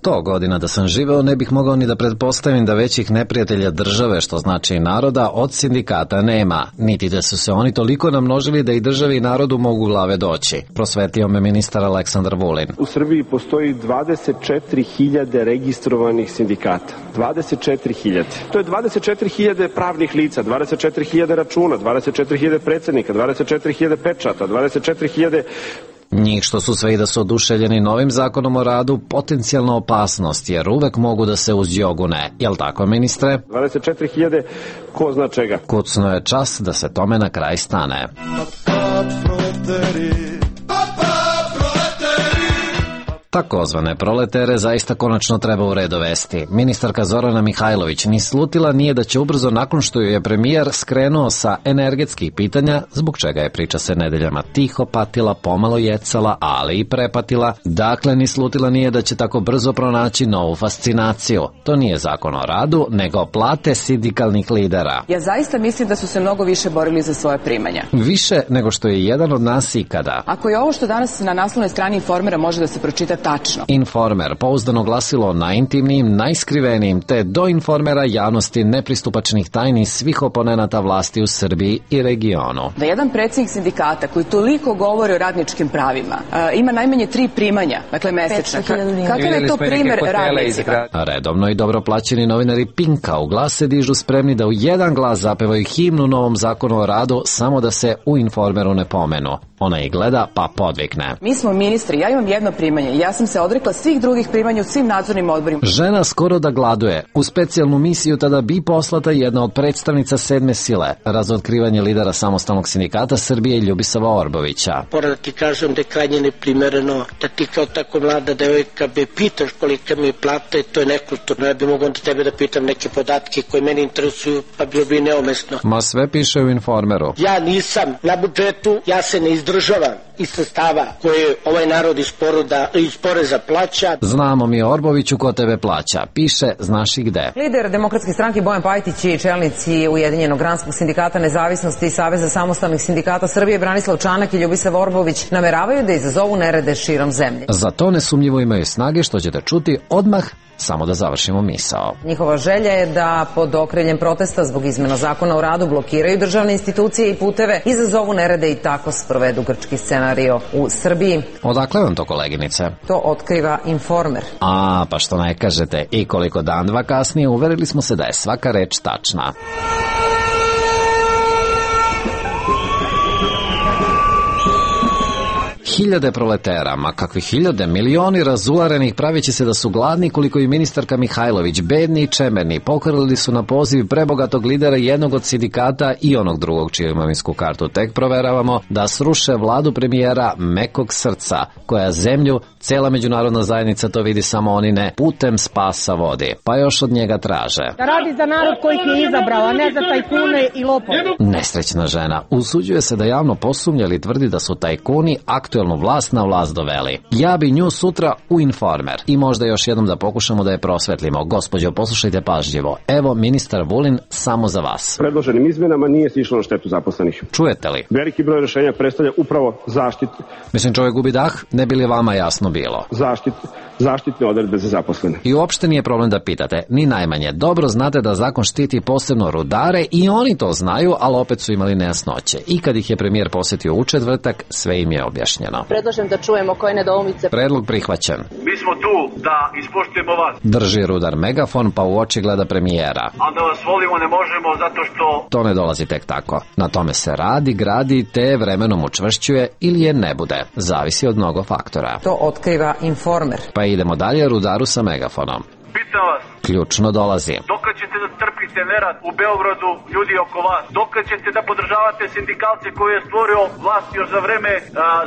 100 godina da sam živeo, ne bih mogao ni da pretpostavim da većih neprijatelja države, što znači i naroda, od sindikata nema, niti da su se oni toliko namnožili da i državi i narodu mogu glave doći. Prosvetio me ministar Aleksandar Vulin. U Srbiji postoji 24.000 registrovanih sindikata. 24.000. To je 24.000 pravnih lica, 24.000 računa, 24.000 predsednika, 24.000 pečata, 24.000... Njih što su sve i da su oduševljeni novim zakonom o radu, potencijalna opasnost, jer uvek mogu da se uzjogune. Jel tako, ministre? 24.000, ko zna čega. Kucno je čas da se tome na kraj stane. Takozvane proletere zaista konačno treba u red dovesti. Ministarka Zorana Mihajlović ni slutila nije da će ubrzo nakon što ju je premijer skrenuo sa energetskih pitanja, zbog čega je priča se nedeljama tiho patila, pomalo jecala, ali i prepatila. Dakle, ni slutila nije da će tako brzo pronaći novu fascinaciju. To nije zakon o radu, nego plate sindikalnih lidera. Ja zaista mislim da su se mnogo više borili za svoje primanja. Više nego što je jedan od nas ikada. Ako je ovo što danas na naslovnoj strani Informera može da se pročita tačno. Informer, pouzdano glasilo najintimnijim, najskrivenijim, te do Informera javnosti nepristupačnih tajni svih oponenata vlasti u Srbiji i regionu. Da jedan predsjednik sindikata koji toliko govori o radničkim pravima ima najmanje 3 primanja, dakle mesečna. Kakav je to primer radnicima? Redovno i dobro plaćeni novinari Pinka u glas se dižu spremni da u jedan glas zapevaju himnu novom zakonu o radu, samo da se u Informeru ne pomenu. Ona ih gleda pa podvikne. Mi smo ministri, ja imam jedno primanje, ja sam se odrekla svih drugih primanja u svim nadzornim odborima. Žena skoro da gladuje. U specijalnu misiju tada bi poslata jedna od predstavnica 7. sile, razotkrivanje lidera samostalnog sindikata Srbije Ljubisava Orbovića. Moram da ti kažem da je krajnje neprimereno da ti kao tako mlada devojka me pitaš kolika mi je plata i to je nekulturno. Ja bi mogo onda tebe da pitam neke podatke koje mene interesuju, pa bilo bi neumesno. Ma sve piše u Informeru. Ja nisam na budžetu, ja se ne izdržavam iz sredstava koje ovaj narod iz poreza plaća. Znamo mi Orboviću ko tebe plaća. Piše, znaš i gde. Lider Demokratske stranke Bojan Pajtić i čelnici Ujedinjenog granskog sindikata nezavisnosti i Saveza samostalnih sindikata Srbije Branislav Čanak i Ljubisav Orbović nameravaju da izazovu nerede širom zemlje. Za to nesumnjivo imaju snage, što ćete čuti odmah. Samo da završimo misao. Njihova želja je da pod okriljem protesta zbog izmena zakona o radu blokiraju državne institucije i puteve, izazovu nerede i tako sprovedu grčki scenario u Srbiji. Odakle vam to, koleginice? To otkriva Informer. Pa što ne kažete, i koliko dan dva kasnije uverili smo se da je svaka reč tačna. Hiljade proletera, ma kakvi hiljade, milioni razularenih pravići se da su gladni koliko i ministarka Mihajlović, bedni i čemerni, pokorili su na poziv prebogatog lidera jednog od sindikata i onog drugog čiju imovinsku kartu tek proveravamo, da sruše vladu premijera mekog srca, koja zemlju, cela međunarodna zajednica to vidi, samo oni ne, putem spasa vodi, pa još od njega traže. Da radi za narod koji je izabrao, a ne za tajkune i lopove. Nesrećna žena usuđuje se da javno posumnja ili tvrdi da su tajkuni aktuelnu vlast na vlast doveli. Ja bi nju sutra u Informer. I možda još jednom da pokušamo da je prosvetlimo. Gospođo, poslušajte pažljivo. Evo ministar Vulin samo za vas. Predloženim izmenama nije se išlo na štetu zaposlenih. Čujete li? Veliki broj rešenja predstavlja upravo zaštitu. Mislim, čovjek gubi dah, ne bi li vama jasno bilo? Zaštitne odredbe za zaposlene. I uopšte nije problem da pitate, ni najmanje. Dobro znate da zakon štiti posebno rudare i oni to znaju, ali opet su imali nejasnoće. I kad ih je premijer posjetio u četvrtak, sve im je objašnjeno. Predlažem da čujemo koje nedoumice. Predlog prihvaćen. Mi smo tu da ispoštujemo vas. Drži rudar megafon pa u oči gleda premijera. A da vas volimo ne možemo zato što... To ne dolazi tek tako. Na tome se radi, gradi, te vremenom učvršćuje ili je ne bude. Zavisi od mnogo faktora. To otkriva Informer. Pa idemo dalje rudaru sa megafonom. Pitam vas. Ključno dolazi. Dokad ćete da trpite nerad u Beogradu, ljudi oko vas? Dokad ćete da podržavate sindikalce koje je stvorio vlast još za vreme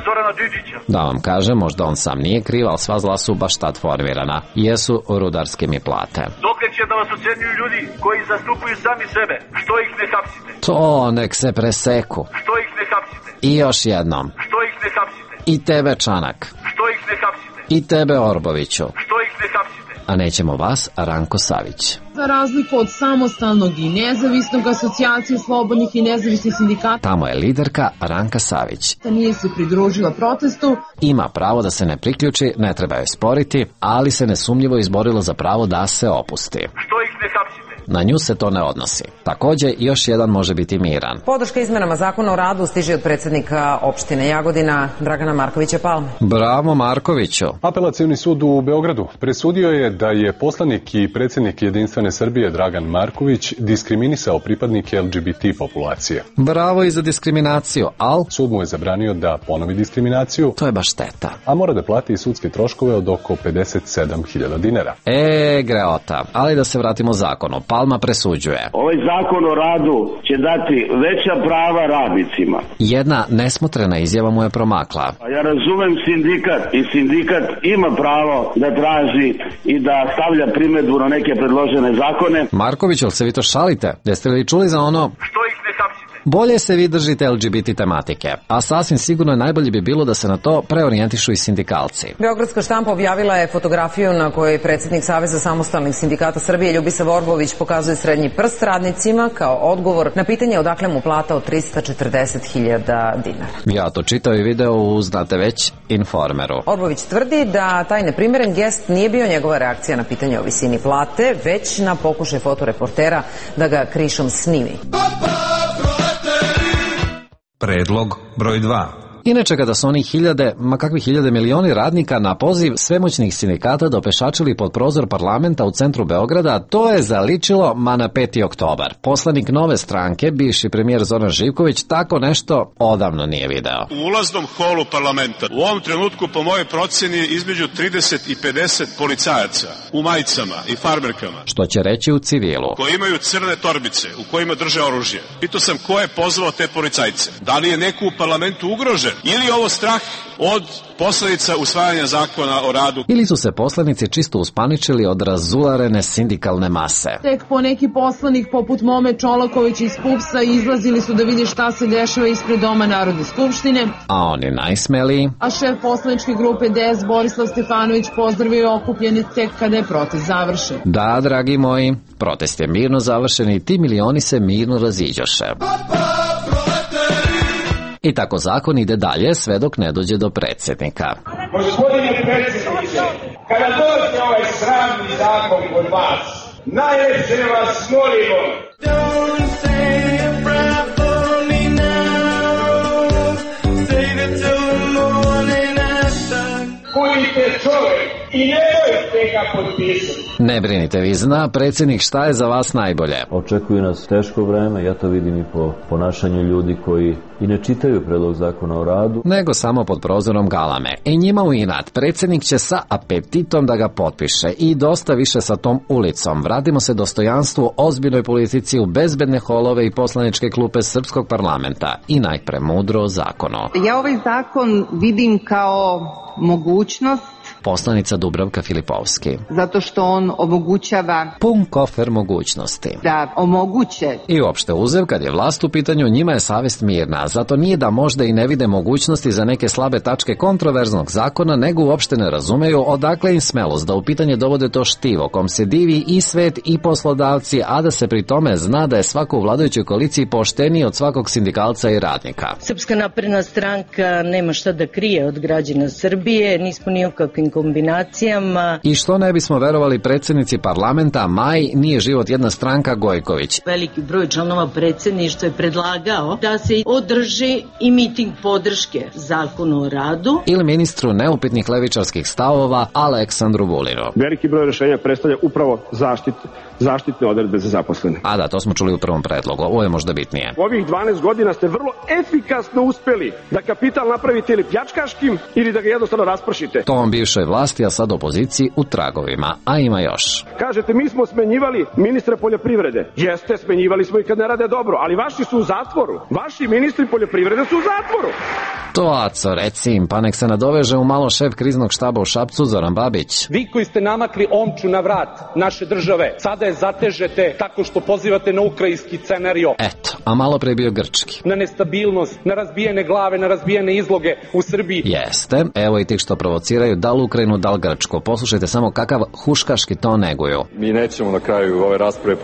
Zorana Đinđića? Da vam kažem, možda on sam nije kriv, ali sva zla su baš tad formirana. Jesu rudarske mi plate. Dokad će da vas ucenjuju ljudi koji zastupaju sami sebe? Što ih ne hapsite? To nek se preseku. Što ih ne hapsite? I još jednom. Što ih ne hapsite? I tebe, Čanak. Što ih ne hapsite? I tebe, Orboviću. Što ih ne hapsite? a nećemo vas, Ranko Savić. Za razliku od samostalnog i nezavisnog asocijacije slobodnih i nezavisnih sindikata, tamo je liderka Ranka Savić. Nije se pridružila protestu. Ima pravo da se ne priključi, ne treba joj sporiti, ali se nesumnjivo izborila za pravo da se opusti. Što ih ne hapsite? Na nju se to ne odnosi. Takođe, još jedan može biti miran. Podrška izmenama zakona o radu stiže od predsjednika opštine Jagodina, Dragana Markovića Palme. Bravo Markoviću. Apelacioni sud u Beogradu presudio je da je poslanik i predsjednik Jedinstvene Srbije Dragan Marković diskriminisao pripadnike LGBT populacije. Bravo i za diskriminaciju, al sud mu je zabranio da ponovi diskriminaciju. To je baš šteta. A mora da plati i sudske troškove od oko 57.000 dinara. Greota. Ali da se vratimo zakonu. Palma presuđuje. Ovaj zakon o radu će dati veća prava radnicima. Jedna nesmotrena izjava mu je promakla. Ja razumem sindikat i sindikat ima pravo da traži i da stavlja primedbu na neke predložene zakone. Marković, jel se vi to šalite? Jeste li čuli za ono? Što ih ne hapsite? Bolje se vi držite LGBT tematike, a sasvim sigurno najbolje bi bilo da se na to preorijentišu i sindikalci. Beogradska štampa objavila je fotografiju na kojoj predsjednik Saveza samostalnih sindikata Srbije Ljubisa Vorbović pokazuje srednji prst radnicima kao odgovor na pitanje odakle mu plata od 340.000 dinara. Ja to čitao i video u, znate već, Informeru. Vorbović tvrdi da taj neprimeren gest nije bio njegova reakcija na pitanje o visini plate, već na pokušaj fotoreportera da ga krišom snimi. Predlog broj 2. Inače, kada su oni hiljade milioni radnika na poziv svemoćnih sindikata dopešačili pod prozor parlamenta u centru Beograda, to je zaličilo na 5. oktobar. Poslanik Nove stranke, bivši premijer Zoran Živković, tako nešto odavno nije video. U ulaznom holu parlamenta u ovom trenutku, po mojoj proceni, između 30 i 50 policajaca u majicama i farmerkama. Što će reći u civilu. Koji imaju crne torbice u kojima drže oružje. Pitao sam ko je pozvao te policajce. Da li je neko u parlamentu ugrožen? Ili je ovo strah od posledica usvajanja zakona o radu? Ili su se poslanici čisto uspaničili od razularene sindikalne mase? Tek po neki poslanik poput Mome Čolaković iz PUPS-a izlazili su da vidi šta se dešava ispred Doma Narodne skupštine. A oni najsmeliji? A šef poslaničke grupe DS Borislav Stefanović pozdravio okupljene tek kada je protest završen. Da, dragi moji, protest je mirno završen i ti milioni se mirno raziđoše. I tako zakon ide dalje sve dok ne dođe do predsjednika. Gospodine predsjedniče, kada dođe ovaj sramni zakon kod vas, najljepše vas molimo. Don't say a prayer for me now, save it till the morning after. Budite čovjek i nemojte ga potpisati. Ne brinite, vi zna predsjednik šta je za vas najbolje. Očekuje nas teško vreme, ja to vidim i po ponašanju ljudi koji i ne čitaju predlog zakona o radu, nego samo pod prozorom galame. I njima u inat, predsjednik će sa apetitom da ga potpiše i dosta više sa tom ulicom. Vratimo se dostojanstvu, ozbiljnoj politici u bezbedne holove i poslaničke klupe srpskog parlamenta i najpre mudro zakonu. Ja ovaj zakon vidim kao mogućnost. Poslanica Dubravka Filipovski. Zato što on omogućava pun kofer mogućnosti. Da omoguće. I uopšte uzev, kad je vlast u pitanju, njima je savest mirna. Zato nije da možda i ne vide mogućnosti za neke slabe tačke kontroverznog zakona, nego uopšte ne razumeju odakle im smelost da u pitanje dovode to štivo, kom se divi i svet i poslodavci, a da se pri tome zna da je svako u vladajućoj koaliciji pošteniji od svakog sindikalca i radnika. Srpska napredna stranka nema šta da krije od građana Srbije, nismo ni u kakvim kombinacijama. I što ne bismo verovali predsjednici parlamenta, Maj nije život jedna stranka Gojković. Veliki broj članova predsjedništva je predlagao da se održi i miting podrške zakonu o radu. Ili ministru neupitnih levičarskih stavova Aleksandru Vulinu. Veliki broj rješenja predstavlja upravo zaštitne odredbe za zaposlene. A da, to smo čuli u prvom predlogu, ovo je možda bitnije. U ovih 12 godina ste vrlo efikasno uspeli da kapital napravite ili pljačkaškim ili da ga jednostavno raspršite. To vam bivšoj vlasti, a sad opoziciji u tragovima, a ima još. Kažete, mi smo smenjivali ministre poljoprivrede. Jeste, smenjivali smo i kad ne rade dobro, ali vaši su u zatvoru. Vaši ministri poljoprivrede su u zatvoru. To, Aco, reci im, pa nek se nadoveže u malo šef kriznog štaba u Šapcu, Zoran Babić. Vi koji ste namakli omču na vrat naše države, sada je zatežete tako što pozivate na ukrajinski scenario. Eto, a malo pre bio grčki. Na nestabilnost, na razbijene glave, na razbijene izloge u Srbiji. Jeste, evo i tih što provociraju da Luka Ukrajinu, da li Grčku. Poslušajte samo kakav huškaški ton neguju. Mi nećemo na kraju ove rasprave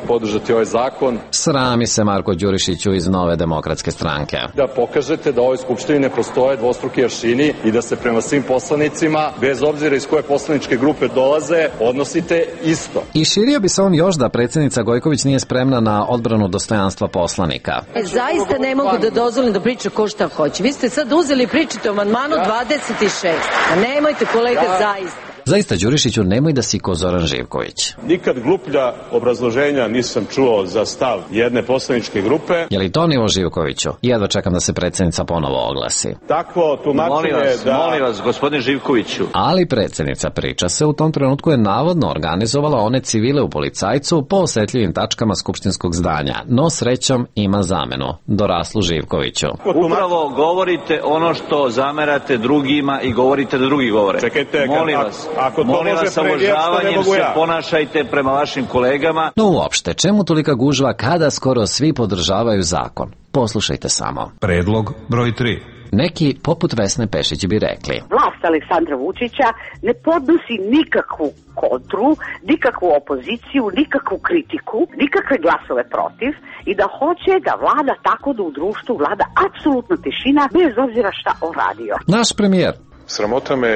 podržati ovaj zakon. Srami se Marko Đurišiću iz Nove demokratske stranke. Da pokažete da u ovoj skupštini ne postoje dvostruki aršini i da se prema svim poslanicima, bez obzira iz koje poslaničke grupe dolaze, odnosite isto. I širio bi se on još da predsjednica Gojković nije spremna na odbranu dostojanstva poslanika. Zaista ne mogu da dozvolim da priča ko šta hoće. Vi ste sad uzeli i pričate o amandmanu 26. Nemojte, kolega, zaista. Zaista, Đurišiću, nemoj da si ko Zoran Živković. Nikad gluplja obrazloženja nisam čuo za stav jedne poslaničke grupe. Je li to nivo Živkoviću? Jedva čekam da se predsjednica ponovo oglasi. Takvo tumačenje Molim vas, gospodine Živkoviću. Ali predsjednica, priča se, u tom trenutku je navodno organizovala one civile u policajcu po osetljivim tačkama skupštinskog zdanja. No srećom ima zamenu. Doraslu Živkoviću. Upravo govorite ono što zamerate drugima i govorite da drugi govore. Čekajte, molim vas. Molim vas, sa uvažavanjem se ponašajte prema vašim kolegama. No uopšte, čemu tolika gužva kada skoro svi podržavaju zakon? Poslušajte samo. Predlog broj 3. Neki, poput Vesne Pešić, bi rekli: vlast Aleksandra Vučića ne podnosi nikakvu kontru, nikakvu opoziciju, nikakvu kritiku, nikakve glasove protiv i da hoće da vlada tako da u društvu vlada apsolutna tišina bez obzira šta on radio. Naš premijer. Sramota me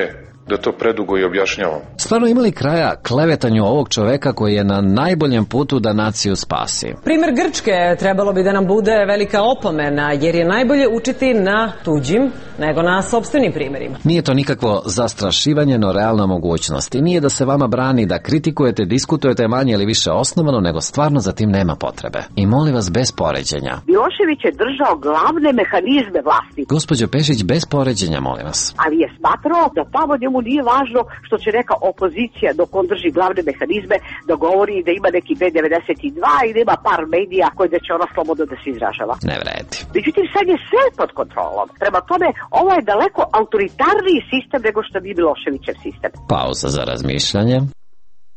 da to predugo i objašnjavam. Stvarno imali kraja klevetanju ovog čoveka koji je na najboljem putu da naciju spasi? Primer Grčke trebalo bi da nam bude velika opomena, jer je najbolje učiti na tuđim nego na sopstvenim primjerima. Nije to nikakvo zastrašivanje, no realna mogućnost. I nije da se vama brani da kritikujete, diskutujete manje ili više osnovano, nego stvarno za tim nema potrebe. I molim vas, bez poređenja. Milošević je držao glavne mehanizme vlasti. Gospođo Pešić, bez poređenja, molim vas. Ali je smatrao da tamo njemu nije važno što će neka opozicija dok on drži glavne mehanizme da govori da ima neki B92 i da ima par medija koji da će ona slobodno da se izražava. Ne vredi. Međutim, sad je sve pod kontrolom. Prema tome, ovo je daleko autoritarniji sistem nego što bi Miloševićev sistem. Pauza za razmišljanje.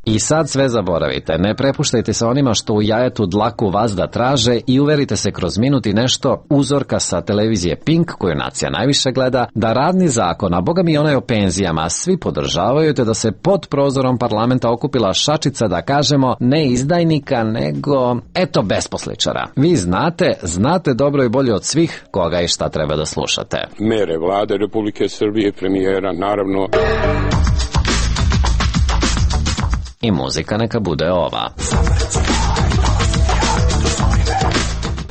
I sad sve zaboravite, ne prepuštajte se onima što u jajetu dlaku vazda traže i uverite se kroz minut i nešto uzorka sa televizije Pink, koju nacija najviše gleda, da radni zakon, a boga mi onaj o penzijama, svi podržavaju, te da se pod prozorom parlamenta okupila šačica, da kažemo, ne izdajnika, nego, eto, besposličara. Vi znate dobro i bolje od svih koga i šta treba da slušate. Mere vlade Republike Srbije, premijera, naravno. I muzika neka bude ova.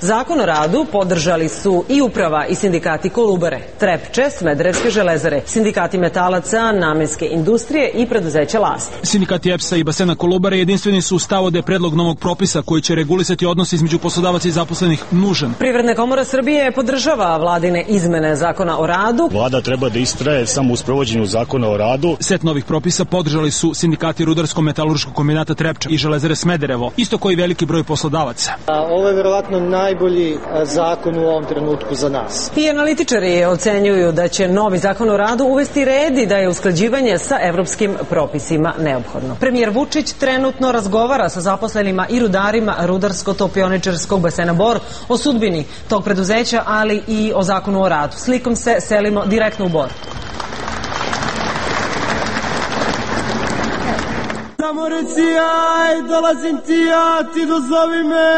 Zakon o radu podržali su i uprava i sindikati Kolubare, Trepče, Smederevske železare, sindikati metalaca, namenske industrije i preduzeća Last. Sindikati EPS-a i basena Kolubare jedinstveni su u stavu da je predlog novog propisa koji će regulisati odnos između poslodavaca i zaposlenih nužan. Privredna komora Srbije podržava vladine izmene zakona o radu. Vlada treba da istraje samo u sprovođenju zakona o radu. Set novih propisa podržali su sindikati Rudarsko-metalurškog kombinata Trepča i železare Smederevo, isto koji veliki broj poslodavaca. Ovo je verovatno najbolji zakon u ovom trenutku za nas. I analitičari ocenjuju da će novi zakon o radu uvesti red i da je usklađivanje sa evropskim propisima neophodno. Premijer Vučić trenutno razgovara sa zaposlenima i rudarima Rudarsko-topioničarskog basena Bor o sudbini tog preduzeća, ali i o zakonu o radu. Slikom se selimo direktno u Bor. Samo reci aj, dolazim ti ja, ti dozovi me.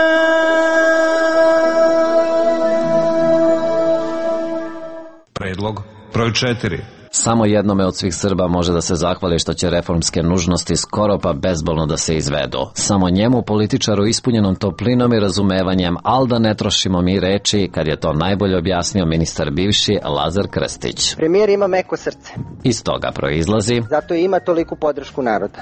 Predlog broj 4. Samo jednome od svih Srba može da se zahvali što će reformske nužnosti skoro pa bezbolno da se izvedu. Samo njemu, političaru ispunjenom toplinom i razumevanjem, al da ne trošimo mi reči, kad je to najbolje objasnio ministar bivši Lazar Krstić. Premijer ima meko srce. Iz toga proizlazi. Zato ima toliku podršku naroda.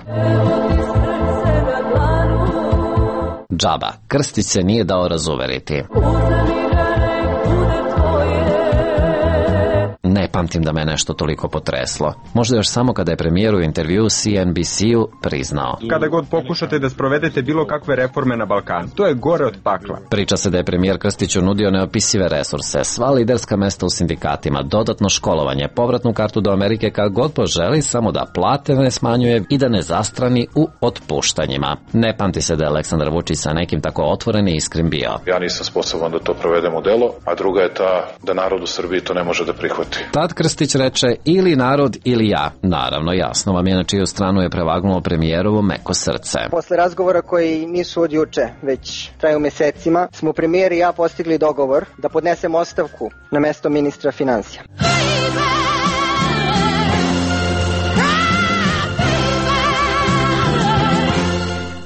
Džaba, Krstić se nije dao razuveriti. Ne pamtim da me nešto toliko potreslo. Možda još samo kada je premijer u intervju CNBC-u priznao. Kada god pokušate da sprovedete bilo kakve reforme na Balkanu, to je gore od pakla. Priča se da je premijer Krstiću nudio neopisive resurse, sva liderska mesta u sindikatima, dodatno školovanje, povratnu kartu do Amerike kad god poželi, samo da plate ne smanjuje i da ne zastrani u otpuštanjima. Ne pamti se da je Aleksandar Vučić sa nekim tako otvoren i iskren bio. Ja nisam sposoban da to provedem u delo, a druga je ta da narod u Srbiji to ne može da prihvati. Tad tad Krstić reče ili narod ili ja. Naravno, jasno vam je na čiju stranu je prevagnulo premijerovo meko srce. Posle razgovora koji nisu od juče, već traju mesecima, smo premijer i ja postigli dogovor da podnesem ostavku na mesto ministra finansija.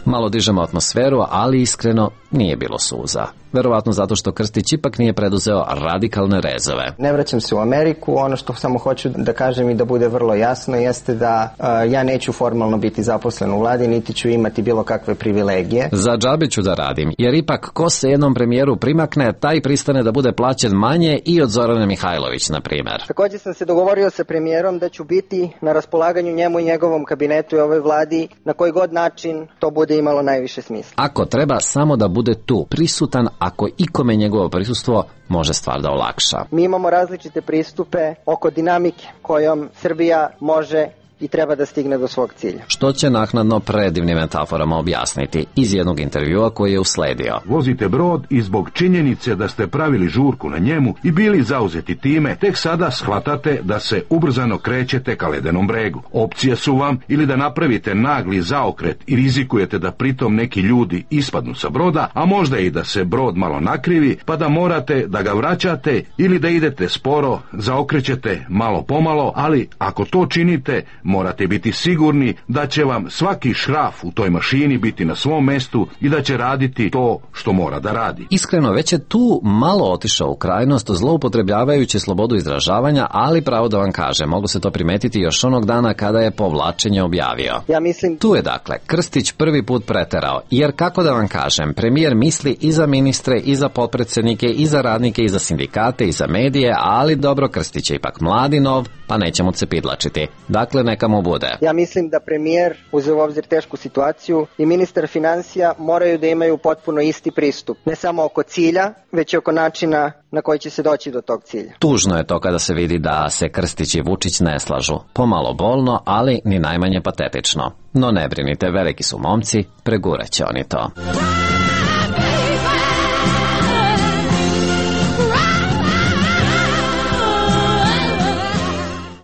Malo dižemo atmosferu, ali iskreno nije bilo suza. Verovatno zato što Krstić ipak nije preduzeo radikalne rezove. Ne vraćam se u Ameriku, ono što samo hoću da kažem i da bude vrlo jasno jeste da ja neću formalno biti zaposlen u vladi, niti ću imati bilo kakve privilegije. Za džabe ću da radim, jer ipak ko se jednom premijeru primakne, taj pristane da bude plaćen manje i od Zorane Mihajlović, na primjer. Također sam se dogovorio sa premijerom da ću biti na raspolaganju njemu i njegovom kabinetu i ovoj vladi na koji god način to bude imalo najviše smisla. Ako treba, samo da bude tu, prisutan, ako ikome njegovo prisustvo može stvar da olakša. Mi imamo različite pristupe oko dinamike kojom Srbija može i treba da stigne do svog cilja. Što će naknadno predivnim metaforama objasniti iz jednog intervjua koji je usledio. Vozite brod i zbog činjenice da ste pravili žurku na njemu i bili zauzeti time, tek sada shvatate da se ubrzano krećete ka ledenom bregu. Opcije su vam ili da napravite nagli zaokret i rizikujete da pritom neki ljudi ispadnu sa broda, a možda i da se brod malo nakrivi, pa da morate da ga vraćate, ili da idete sporo, zaokrećete malo pomalo, ali ako to činite, morate biti sigurni da će vam svaki šraf u toj mašini biti na svom mestu i da će raditi to što mora da radi. Iskreno, već je tu malo otišao u krajnost, zloupotrebljavajući slobodu izražavanja, ali pravo da vam kaže, mogu se to primetiti još onog dana kada je povlačenje objavio. Ja mislim... Tu je dakle Krstić prvi put preterao, jer kako da vam kažem, premijer misli i za ministre, i za potpredsjednike, i za radnike, i za sindikate, i za medije, ali dobro, Krstić je ipak mladi nov, pa nećemo se pidlačiti. Dakle, neka mu bude. Ja mislim da premijer, uzeo u obzir tešku situaciju, i ministar finansija moraju da imaju potpuno isti pristup. Ne samo oko cilja, već i oko načina na koji će se doći do tog cilja. Tužno je to kada se vidi da se Krstić i Vučić ne slažu. Pomalo bolno, ali ni najmanje patetično. No ne brinite, veliki su momci, pregurat će oni to.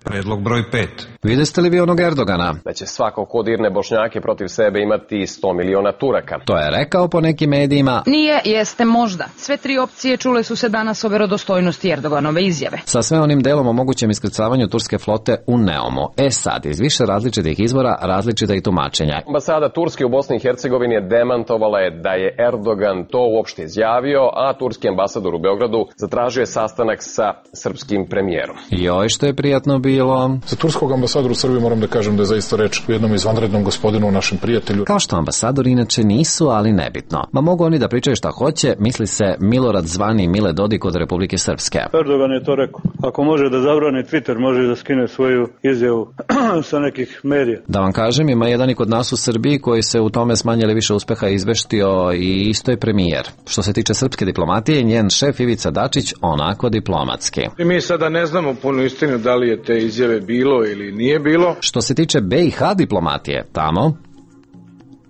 Predlog broj 5. Videste li vi onog Erdogana? Da će svako ko dirne Bošnjake protiv sebe imati 100 miliona Turaka. To je rekao po nekim medijima. Nije, jeste možda. Sve tri opcije čule su se danas o verodostojnosti Erdoganove izjave. Sa sve onim delom o mogućem iskrcavanju turske flote u Neumu. Sad, iz više različitih izvora, različita i tumačenja. Ambasada Turske u Bosni i Hercegovini demantovala je da je Erdogan to uopšte izjavio, a turski ambasador u Beogradu zatražio je sastanak sa srpskim premijerom. Joj, što je prijatno bilo. Za turskog ambasadora u Srbiji moram da kažem da je zaista reč o jednom izvanrednom gospodinu, našem prijatelju. Kao što ambasadori inače nisu, ali nebitno. Ma mogu oni da pričaju šta hoće, misli se Milorad zvani Mile Dodik od Republike Srpske. Erdogan je to rekao. Ako može da zabrani Twitter, može da skine svoju izjavu sa nekih medija. Da vam kažem, ima jedan i kod nas u Srbiji koji se u tome s manje ili više uspeha izveštio i isto je premijer. Što se tiče srpske diplomatije, njen šef Ivica Dačić onako diplomatski. I mi sada ne znamo punu istinu da li je te izjave bilo ili nije bilo. Što se tiče BiH diplomatije, tamo,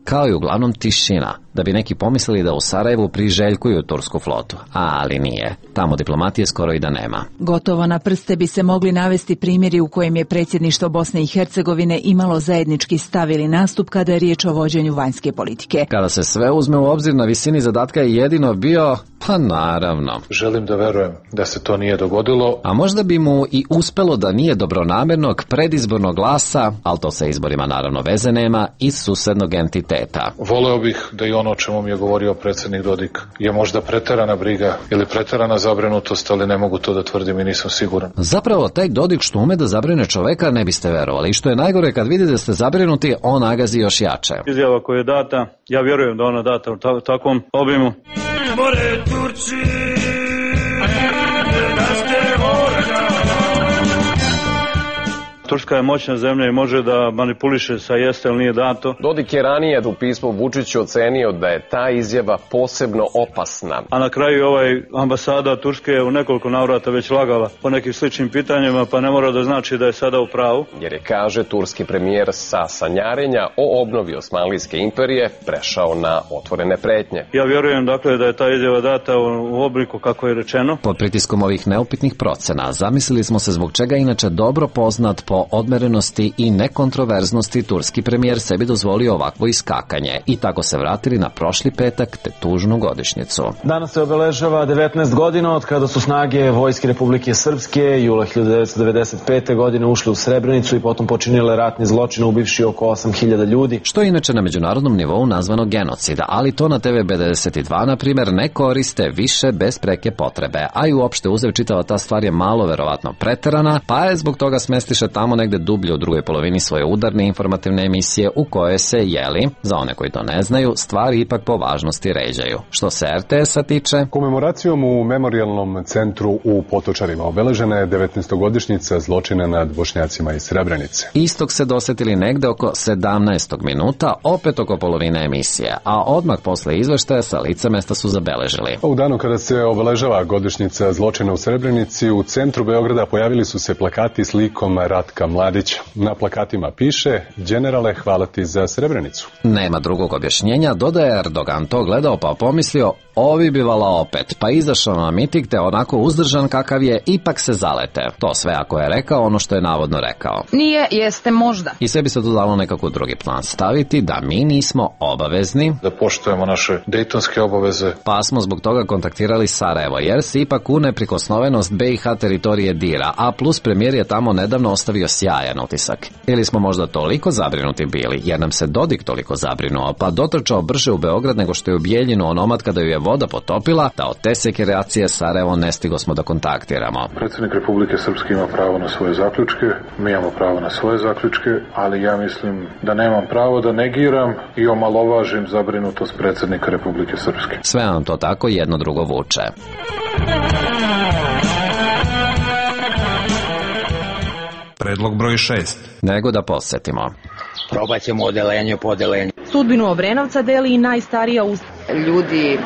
kao i uglavnom tišina, da bi neki pomislili da u Sarajevu priželjkuju tursku flotu, ali nije. Tamo diplomatije skoro i da nema. Gotovo na prste bi se mogli navesti primjeri u kojem je predsjedništvo Bosne i Hercegovine imalo zajednički stav ili nastup kada je riječ o vođenju vanjske politike. Kada se sve uzme u obzir, na visini zadatka je jedino bio, pa naravno. Želim da verujem da se to nije dogodilo. A možda bi mu i uspelo da nije dobronamernog predizbornog glasa, ali to sa izborima naravno veze nema, iz susednog entiteta. Voleo bih da i ono o čemu mi je govorio predsjednik Dodik je možda preterana briga ili preterana zabrinutost, ali ne mogu to da tvrdim i nisam siguran. Zapravo, taj Dodik što ume da zabrine čoveka ne biste verovali. I što je najgore, kad vidite da ste zabrinuti, on nagazi još jače. Izjava koja je data, ja vjerujem da ona data u takvom obimu. More Turci, Turska je moćna zemlja i može da manipuliše sa jeste ili nije dato. Dodik je ranije u pismu Vučiću ocenio da je ta izjava posebno opasna. A na kraju ambasada Turske je u nekoliko navrata već lagala po nekim sličnim pitanjima, pa ne mora da znači da je sada u pravu. Jer je, kaže, turski premijer sa sanjarenja o obnovi Osmanlijske imperije prešao na otvorene pretnje. Ja vjerujem dakle da je ta izjava data u obliku kako je rečeno. Pod pritiskom ovih neupitnih procena zamislili smo se zbog čega inače dobro poznat po odmerenosti i nekontroverznosti turski premijer sebi dozvolio ovakvo iskakanje i tako se vratili na prošli petak te tužnu godišnjicu. Danas se obeležava 19 godina od kada su snage Vojske Republike Srpske jula 1995. godine ušle u Srebrenicu i potom počinile ratni zločin ubivši oko 8.000 ljudi. Što je inače na međunarodnom nivou nazvano genocida, ali to na TV B92, na primjer, ne koriste više bez preke potrebe, a i uopšte uzev čitava ta stvar je malo verovatno preterana, pa je zbog toga smestiše tamo negde dublje u drugoj polovini svoje udarne informativne emisije u koje se, za one koji to ne znaju, stvari ipak po važnosti ređaju. Što se RTS-a tiče... Komemoracijom u memorijalnom centru u Potočarima obeležena je 19-godišnjica zločina nad Bošnjacima iz Srebrenice. Istog se dosetili negde oko 17. minuta, opet oko polovine emisije, a odmah posle izveštaja sa lica mesta su zabeležili. U danu kada se obeležava godišnjica zločina u Srebrenici, u centru Beograda pojavili su se plakati s likom Ratka Mladića. Na plakatima piše: "Đenerale, hvala ti za Srebrenicu." Nema drugog objašnjenja, dodaje Erdogan to gledao pa pomislio, ovi bivala opet, pa izašao na miting te onako uzdržan kakav je, ipak se zalete. To sve ako je rekao ono što je navodno rekao. Nije, jeste možda. I sebi se to dalo nekako drugi plan staviti da mi nismo obavezni da poštujemo naše dejtonske obaveze. Pa smo zbog toga kontaktirali Sarajevo, jer se ipak u neprikosnovenost BiH teritorije dira, a plus premijer je tamo nedavno ostavio sjajan utisak. Ili smo možda toliko zabrinuti bili, jer nam se Dodik toliko zabrinuo, pa dotrčao brže u Beograd nego što je u Bijeljinu onomad kada ju je voda potopila, da od te sekreacije Sarajevo ne stigo smo da kontaktiramo. Predsjednik Republike Srpske ima pravo na svoje zaključke, mi imamo pravo na svoje zaključke, ali ja mislim da nemam pravo da negiram i omalovažim zabrinutost predsjednika Republike Srpske. Sve nam to tako jedno drugo vuče. Predlog broj 6. Nego da podsjetimo. Probat ćemo odelenje po odelenju. Sudbinu Obrenovca deli i najstarija ljudi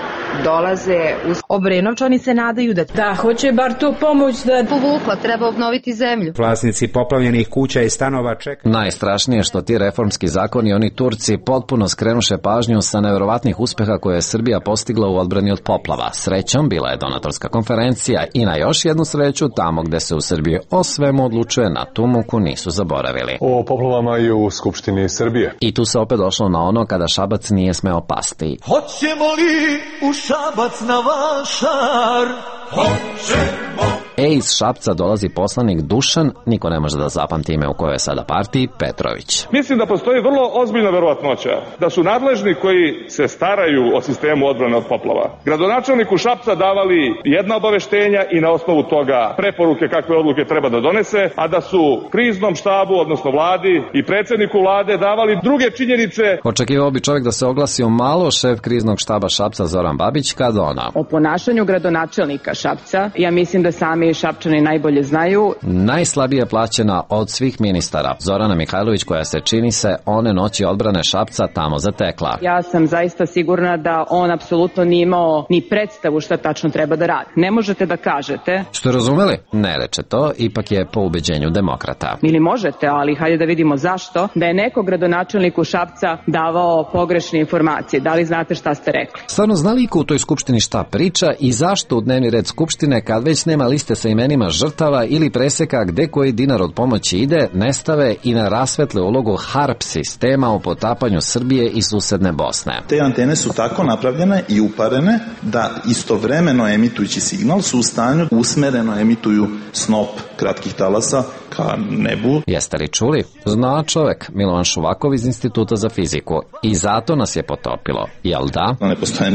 dolaze Obrenovčani se nadaju da hoće bar tu pomoć da povukla, treba obnoviti zemlju. Vlasnici poplavljenih kuća i stanova čekaju. Najstrašnije što ti reformski zakoni, oni Turci potpuno skrenuše pažnju sa neverovatnih uspeha koje je Srbija postigla u odbrani od poplava. Srećom bila je donatorska konferencija i na još jednu sreću tamo gde se u Srbiji o svemu odlučuje na tu muku nisu zaboravili. O poplavama i u Skupštini Srbije. I tu se opet došlo na ono kada Šabac nije smeo pasti. Hoćemo li u Šabac na vašar? Hoćemo. Iz Šapca dolazi poslanik Dušan, niko ne može da zapamti ime u kojoj je sada partiji, Petrović. Mislim da postoji vrlo ozbiljna verovatnoća da su nadležni koji se staraju o sistemu odbrane od poplava gradonačelniku Šapca davali jedna obaveštenja i na osnovu toga preporuke kakve odluke treba da donese, a da su kriznom štabu, odnosno vladi i predsjedniku vlade davali druge činjenice. Očekivao bi čovjek da se oglasi o malo šef kriznog štaba Šapca Zoran Babić kad ona. O ponašanju gradonačelnika Šapca, ja mislim da sami Šapčani najbolje znaju. Najslabije plaćena od svih ministara, Zorana Mihajlović, koja se čini se one noći odbrane Šapca tamo zatekla. Ja sam zaista sigurna da on apsolutno nije imao ni predstavu šta tačno treba da radi. Ne možete da kažete. Ste razumeli? Ne reče to, ipak je po ubeđenju demokrata. Ili možete, ali hajde da vidimo zašto, da je neko gradonačelniku Šapca davao pogrešne informacije. Da li znate šta ste rekli? Stvarno zna li iko u toj skupštini šta priča i zašto u dnevni red skupštine, kad već nema liste sa imenima žrtava ili preseka gde koji dinar od pomoći ide, ne stave i na rasvetle ulogu HARP sistema u potapanju Srbije i susedne Bosne. Te antene su tako napravljene i uparene da istovremeno emitujući signal su u stanju usmereno emituju snop kratkih talasa ka nebu. Jeste li čuli? Zna čovek, Milovan Šuvakov iz Instituta za fiziku. I zato nas je potopilo, jel da? Ne postoje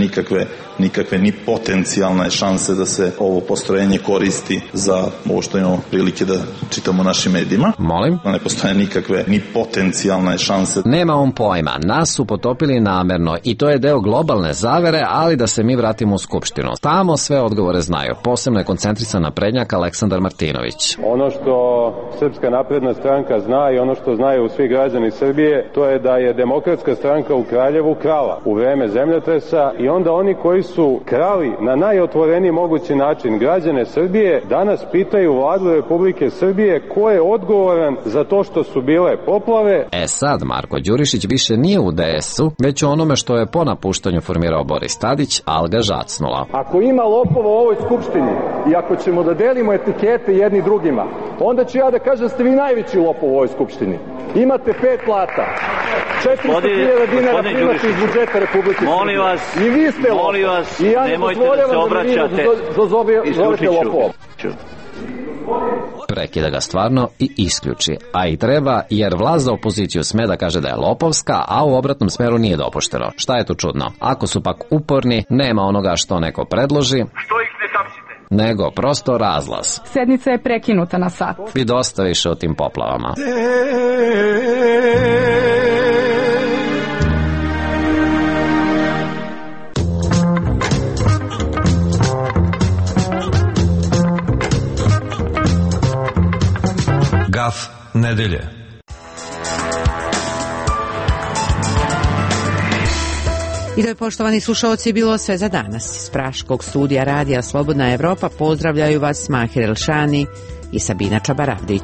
nikakve ni potencijalne šanse da se ovo postrojenje koristi za ovo što imamo prilike da čitamo u našim medijima. Molim? Ne postoje nikakve ni potencijalne šanse. Nema on pojma, nas su potopili namerno i to je deo globalne zavere, ali da se mi vratimo u Skupštinu. Tamo sve odgovore znaju. Posebno je koncentrisan naprednjak Aleksandar Martinović. Ono što Srpska napredna stranka zna i ono što znaju svi građani Srbije, to je da je Demokratska stranka u Kraljevu krala u vreme zemljotresa i onda oni koji su krali na najotvoreniji mogući način građane Srbije danas pitaju Vladu Republike Srbije ko je odgovoran za to što su bile poplave. Sad Marko Đurišić više nije u DS-u, već u onome što je po napuštanju formirao Boris Tadić, ali ga žacnula. Ako ima lopova u ovoj skupštini i ako ćemo da delimo etikete jedni drugima, onda ću ja da kažem da ste vi najveći lopov u ovoj skupštini. Imate 5 plata. 400.000 dinara primate iz budžeta Republike Srbije. Molim vas, i vi ste lopov. Molim vas, i ja nemojte da se obraćate. Zovete lopovom. Prekida ga stvarno i isključi. A i treba, jer vlast za opoziciju sme da kaže da je lopovska, a u obratnom smeru nije dopušteno. Šta je tu čudno? Ako su pak uporni, nema onoga što neko predloži, što ih ne tapsite, nego prosto razlaz. Sednica je prekinuta na sat. I dosta više o tim poplavama. Gaf nedelje. I to je, poštovani slušalci, bilo sve za danas. Iz Praškog studija Radija Slobodna Evropa pozdravljaju vas Mahir Elšani i Sabina Čabaravdić.